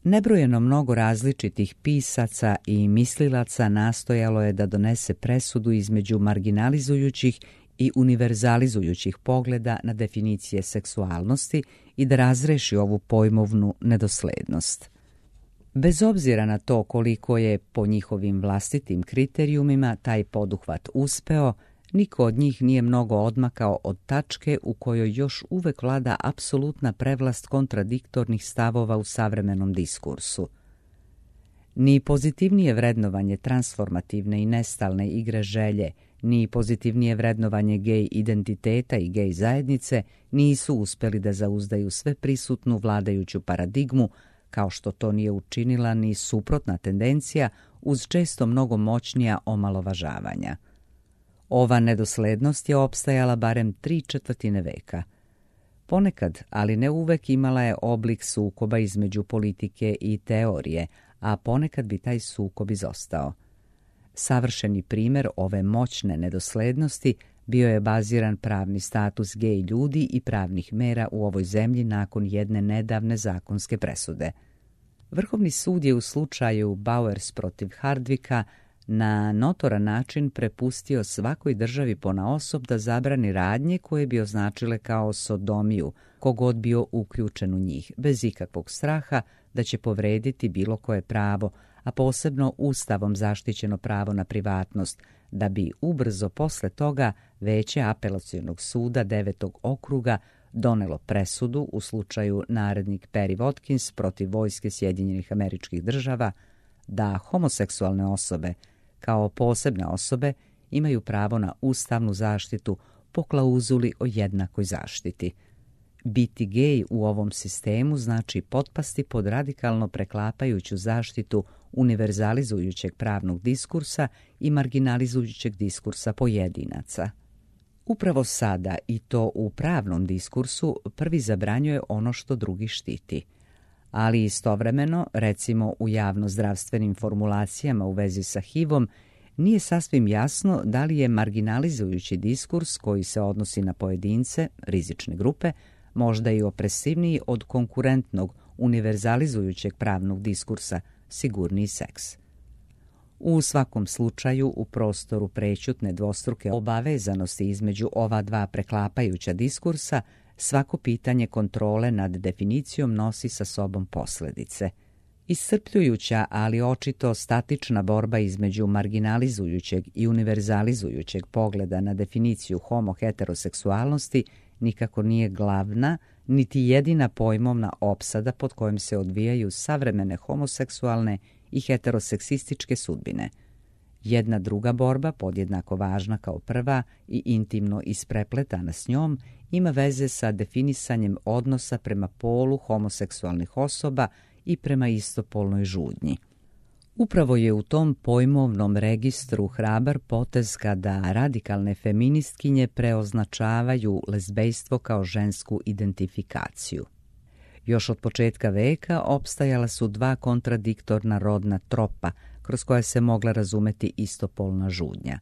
Nebrojeno mnogo različitih pisaca i mislilaca nastojalo je da donese presudu između marginalizujućih i univerzalizujućih pogleda na definicije seksualnosti i da razreši ovu pojmovnu nedoslednost. Bez obzira na to koliko je po njihovim vlastitim kriterijumima taj poduhvat uspeo, niko od njih nije mnogo odmakao od tačke u kojoj još uvek vlada apsolutna prevlast kontradiktornih stavova u savremenom diskursu. Ni pozitivnije vrednovanje transformativne i nestalne igre želje, ni pozitivnije vrednovanje gej identiteta i gej zajednice nisu uspjeli da zauzdaju sve prisutnu vladajuću paradigmu, kao što to nije učinila ni suprotna tendencija uz često mnogo moćnija omalovažavanja. Ova nedoslednost je opstajala barem 3/4 veka. Ponekad, ali ne uvek, imala je oblik sukoba između politike i teorije, a ponekad bi taj sukob izostao. Savršeni primjer ove moćne nedoslednosti bio je baziran pravni status gej ljudi i pravnih mera u ovoj zemlji nakon jedne nedavne zakonske presude. Vrhovni sud je u slučaju Bowers protiv Hardwicka na notoran način prepustio svakoj državi ponaosob da zabrani radnje koje bi označile kao sodomiju, kogod bio uključen u njih, bez ikakvog straha da će povrediti bilo koje pravo, a posebno Ustavom zaštićeno pravo na privatnost, da bi ubrzo posle toga Veće apelacionog suda 9. okruga donelo presudu u slučaju narednik Perry Watkins protiv vojske Sjedinjenih Američkih Država da homoseksualne osobe kao posebne osobe imaju pravo na ustavnu zaštitu po klauzuli o jednakoj zaštiti. Biti gej u ovom sistemu znači potpasti pod radikalno preklapajuću zaštitu univerzalizujućeg pravnog diskursa i marginalizujućeg diskursa pojedinaca. Upravo sada, i to u pravnom diskursu, prvi zabranjuje ono što drugi štiti. Ali istovremeno, recimo u javnozdravstvenim formulacijama u vezi sa HIV-om, nije sasvim jasno da li je marginalizujući diskurs koji se odnosi na pojedince, rizične grupe, možda i opresivniji od konkurentnog, univerzalizujućeg pravnog diskursa, sigurniji seks. U svakom slučaju, u prostoru prećutne dvostruke obavezanosti između ova dva preklapajuća diskursa, svako pitanje kontrole nad definicijom nosi sa sobom posljedice. Iscrpljujuća, ali očito statična borba između marginalizujućeg i univerzalizujućeg pogleda na definiciju homo-heteroseksualnosti nikako nije glavna, niti jedina pojmovna opsada pod kojom se odvijaju savremene homoseksualne i heteroseksističke sudbine. Jedna druga borba, podjednako važna kao prva i intimno isprepletana s njom, ima veze sa definisanjem odnosa prema polu homoseksualnih osoba i prema istopolnoj žudnji. Upravo je u tom pojmovnom registru hrabar potez kada radikalne feministkinje preoznačavaju lezbejstvo kao žensku identifikaciju. Još od početka veka opstajala su dva kontradiktorna rodna tropa kroz koja se mogla razumeti istopolna žudnja.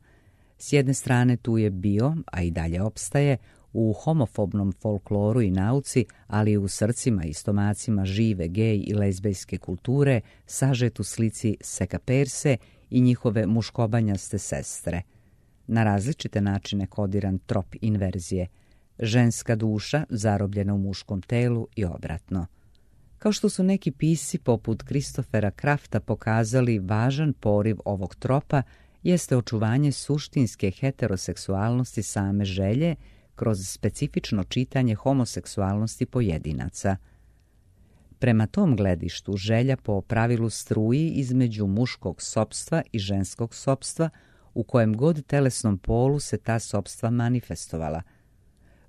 S jedne strane tu je bio, a i dalje opstaje, u homofobnom folkloru i nauci, ali i u srcima i stomacima žive gej i lezbejske kulture, sažet u slici sekaperse i njihove muškobanjaste sestre. Na različite načine kodiran trop inverzije, ženska duša zarobljena u muškom telu i obratno. Kao što su neki pisci poput Christophera Crafta pokazali, važan poriv ovog tropa jeste očuvanje suštinske heteroseksualnosti same želje kroz specifično čitanje homoseksualnosti pojedinaca. Prema tom gledištu želja po pravilu struji između muškog sopstva i ženskog sopstva, u kojem god telesnom polu se ta sopstva manifestovala.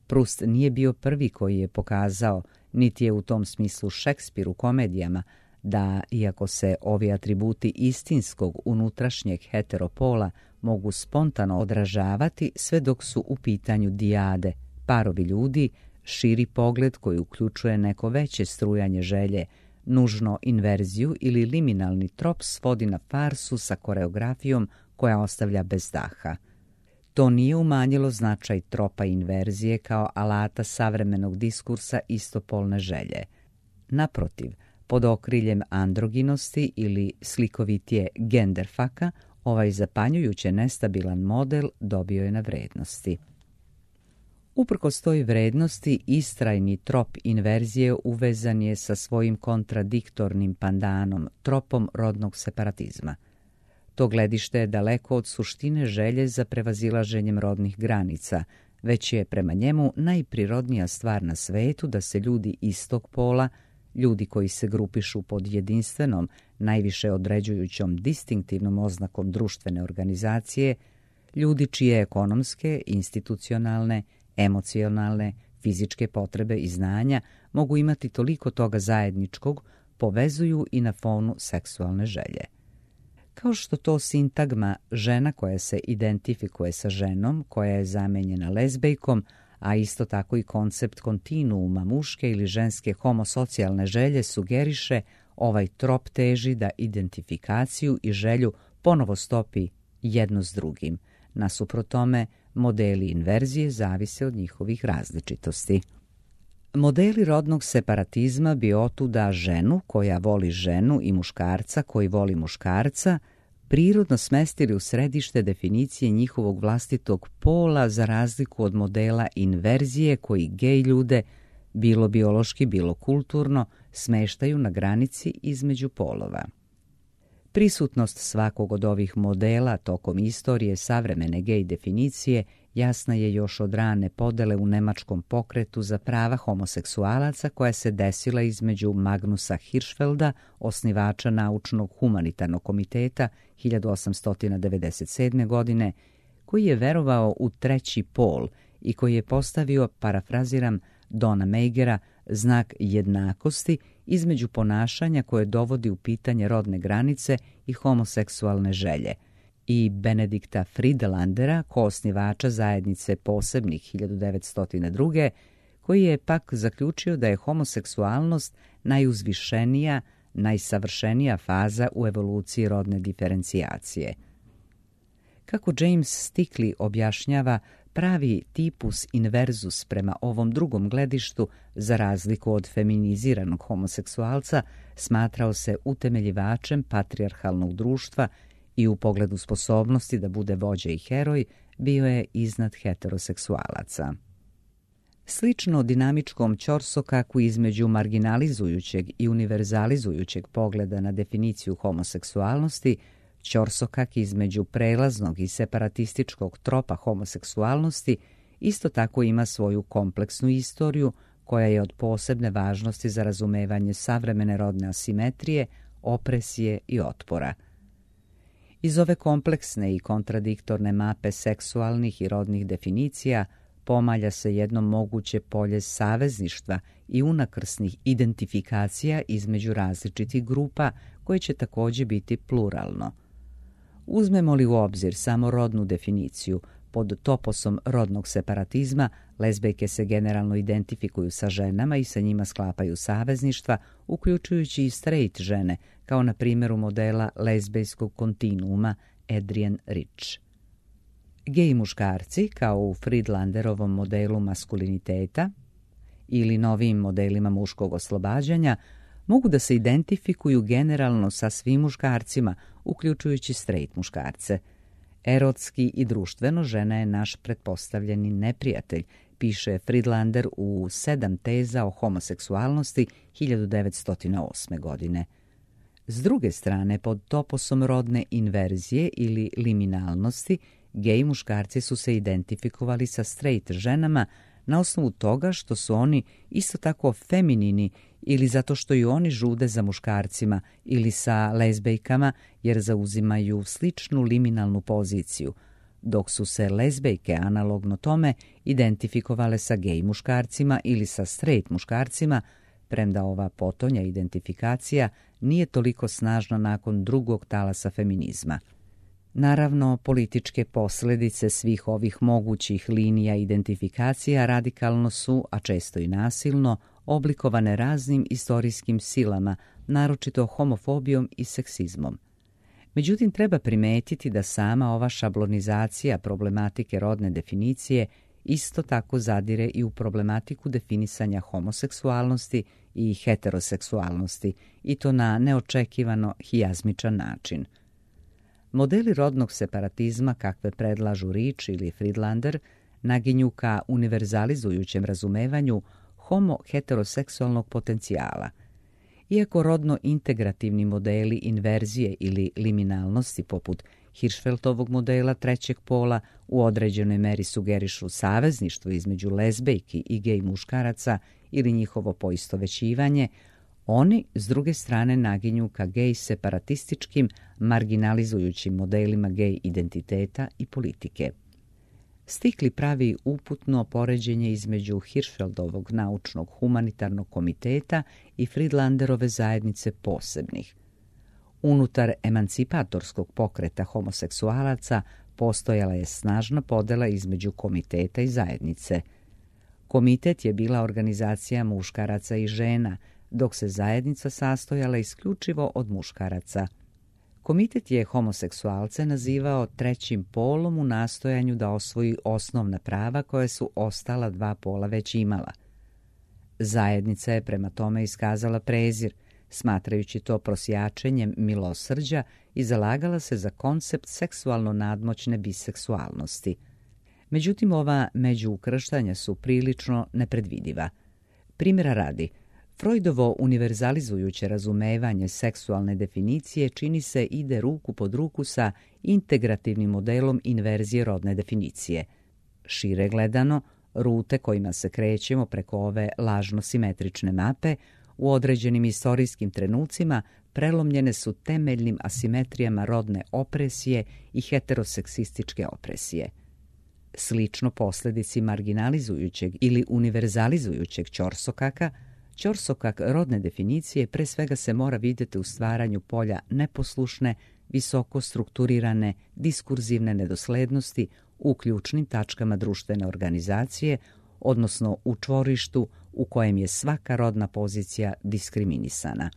Proust nije bio prvi koji je pokazao, niti je u tom smislu Šekspir u komedijama, da, iako se ovi atributi istinskog unutrašnjeg heteropola mogu spontano odražavati sve dok su u pitanju dijade, parovi ljudi, širi pogled koji uključuje neko veće strujanje želje, nužno inverziju ili liminalni trop svodi na farsu sa koreografijom koja ostavlja bez daha. To nije umanjilo značaj tropa inverzije kao alata savremenog diskursa istopolne želje. Naprotiv, pod okriljem androginosti ili slikovitije genderfaka, ovaj zapanjujuće nestabilan model dobio je na vrednosti. Uprkos toj vrednosti, istrajni trop inverzije uvezan je sa svojim kontradiktornim pandanom, tropom rodnog separatizma. To gledište je daleko od suštine želje za prevazilaženjem rodnih granica, već je prema njemu najprirodnija stvar na svetu da se ljudi istog pola, ljudi koji se grupišu pod jedinstvenom, najviše određujućom distinktivnom oznakom društvene organizacije, ljudi čije ekonomske, institucionalne, emocionalne, fizičke potrebe i znanja mogu imati toliko toga zajedničkog, povezuju i na fonu seksualne želje. Kao što to sintagma žena koja se identifikuje sa ženom, koja je zamenjena lezbejkom, a isto tako i koncept kontinuuma muške ili ženske homosocijalne želje sugeriše, ovaj trop teži da identifikaciju i želju ponovo stopi jedno s drugim. Nasuprot tome, modeli inverzije zavise od njihovih različitosti. Modeli rodnog separatizma bi otuda ženu koja voli ženu i muškarca koji voli muškarca prirodno smestili u središte definicije njihovog vlastitog pola za razliku od modela inverzije koji gej ljude, bilo biološki, bilo kulturno, smeštaju na granici između polova. Prisutnost svakog od ovih modela tokom istorije savremene gej definicije jasna je još od rane podele u nemačkom pokretu za prava homoseksualaca koja se desila između Magnusa Hirschfelda, osnivača Naučnog humanitarnog komiteta 1897. godine, koji je verovao u treći pol i koji je postavio, parafraziram Dona Meigera, znak jednakosti između ponašanja koje dovodi u pitanje rodne granice i homoseksualne želje, i Benedikta Friedelandera, koosnivača zajednice posebnih 1902. koji je pak zaključio da je homoseksualnost najuzvišenija, najsavršenija faza u evoluciji rodne diferencijacije. Kako James Stickley objašnjava, pravi tipus inverzus prema ovom drugom gledištu, za razliku od feminiziranog homoseksualca, smatrao se utemeljivačem patrijarhalnog društva i u pogledu sposobnosti da bude vođa i heroj bio je iznad heteroseksualaca. Slično dinamičkom ćorsokaku između marginalizujućeg i univerzalizujućeg pogleda na definiciju homoseksualnosti, ćorsokak između prelaznog i separatističkog tropa homoseksualnosti isto tako ima svoju kompleksnu istoriju koja je od posebne važnosti za razumevanje savremene rodne asimetrije, opresije i otpora. Iz ove kompleksne i kontradiktorne mape seksualnih i rodnih definicija pomalja se jedno moguće polje savezništva i unakrsnih identifikacija između različitih grupa koje će također biti pluralno. Uzmemo li u obzir samo rodnu definiciju, pod toposom rodnog separatizma lezbejke se generalno identifikuju sa ženama i sa njima sklapaju savezništva, uključujući i straight žene, kao na primjeru modela lezbejskog kontinuuma Adrienne Rich. Gej muškarci, kao u Friedlanderovom modelu maskuliniteta ili novim modelima muškog oslobađanja, mogu da se identifikuju generalno sa svim muškarcima, uključujući straight muškarce. Erotski i društveno žena je naš pretpostavljeni neprijatelj, piše Friedlander u 7 teza o homoseksualnosti 1908. godine. S druge strane, pod toposom rodne inverzije ili liminalnosti, gej muškarci su se identifikovali sa straight ženama na osnovu toga što su oni isto tako feminini ili zato što i oni žude za muškarcima, ili sa lezbejkama jer zauzimaju sličnu liminalnu poziciju, dok su se lezbejke analogno tome identifikovale sa gej muškarcima ili sa straight muškarcima, premda ova potonja identifikacija nije toliko snažna nakon drugog talasa feminizma. Naravno, političke posljedice svih ovih mogućih linija identifikacija radikalno su, a često i nasilno, oblikovane raznim istorijskim silama, naročito homofobijom i seksizmom. Međutim, treba primetiti da sama ova šablonizacija problematike rodne definicije isto tako zadire i u problematiku definisanja homoseksualnosti i heteroseksualnosti, i to na neočekivano hijazmičan način. Modeli rodnog separatizma, kakve predlažu Rich ili Friedlander, naginju ka univerzalizujućem razumevanju homo-heteroseksualnog potencijala. Iako rodno integrativni modeli inverzije ili liminalnosti poput Hirschfeldovog modela trećeg pola u određenoj meri sugerišu savezništvo između lezbejki i gej muškaraca ili njihovo poistovećivanje, Oni, s druge strane, naginju ka gej separatističkim, marginalizujućim modelima gej identiteta i politike. Stikli pravi uputno poređenje između Hirschfeldovog naučnog humanitarnog komiteta i Friedlanderove zajednice posebnih. Unutar emancipatorskog pokreta homoseksualaca postojala je snažna podela između komiteta i zajednice. Komitet je bila organizacija muškaraca i žena, dok se zajednica sastojala isključivo od muškaraca. Komitet je homoseksualce nazivao trećim polom u nastojanju da osvoji osnovna prava koje su ostala dva pola već imala. Zajednica je prema tome iskazala prezir, smatrajući to prosjačenjem milosrđa, i zalagala se za koncept seksualno nadmoćne biseksualnosti. Međutim, ova međuukrštanja su prilično nepredvidiva. Primjera radi, Freudovo univerzalizujuće razumevanje seksualne definicije čini se ide ruku pod ruku sa integrativnim modelom inverzije rodne definicije. Šire gledano, rute kojima se krećemo preko ove lažno-simetrične mape u određenim istorijskim trenucima prelomljene su temeljnim asimetrijama rodne opresije i heteroseksističke opresije. Slično posljedici marginalizujućeg ili univerzalizujućeg ćorsokaka, ćorsokak rodne definicije pre svega se mora vidjeti u stvaranju polja neposlušne, visoko strukturirane, diskurzivne nedoslednosti u ključnim tačkama društvene organizacije, odnosno u čvorištu u kojem je svaka rodna pozicija diskriminisana.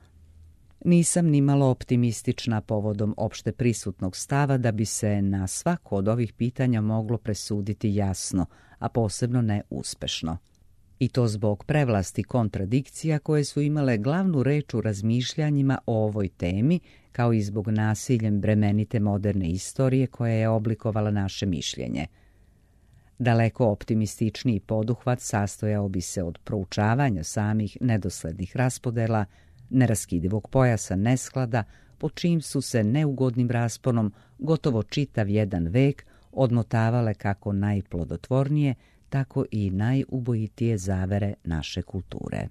Nisam nimalo optimistična povodom opšte prisutnog stava da bi se na svako od ovih pitanja moglo presuditi jasno, a posebno ne uspešno. I to zbog prevlasti kontradikcija koje su imale glavnu reč u razmišljanjima o ovoj temi, kao i zbog nasiljem bremenite moderne istorije koja je oblikovala naše mišljenje. Daleko optimističniji poduhvat sastojao bi se od proučavanja samih nedoslednih raspodela, neraskidivog pojasa nesklada, po čijim su se neugodnim rasponom gotovo čitav jedan vek odmotavale kako najplodotvornije, tako i najubojitije zavere naše kulture.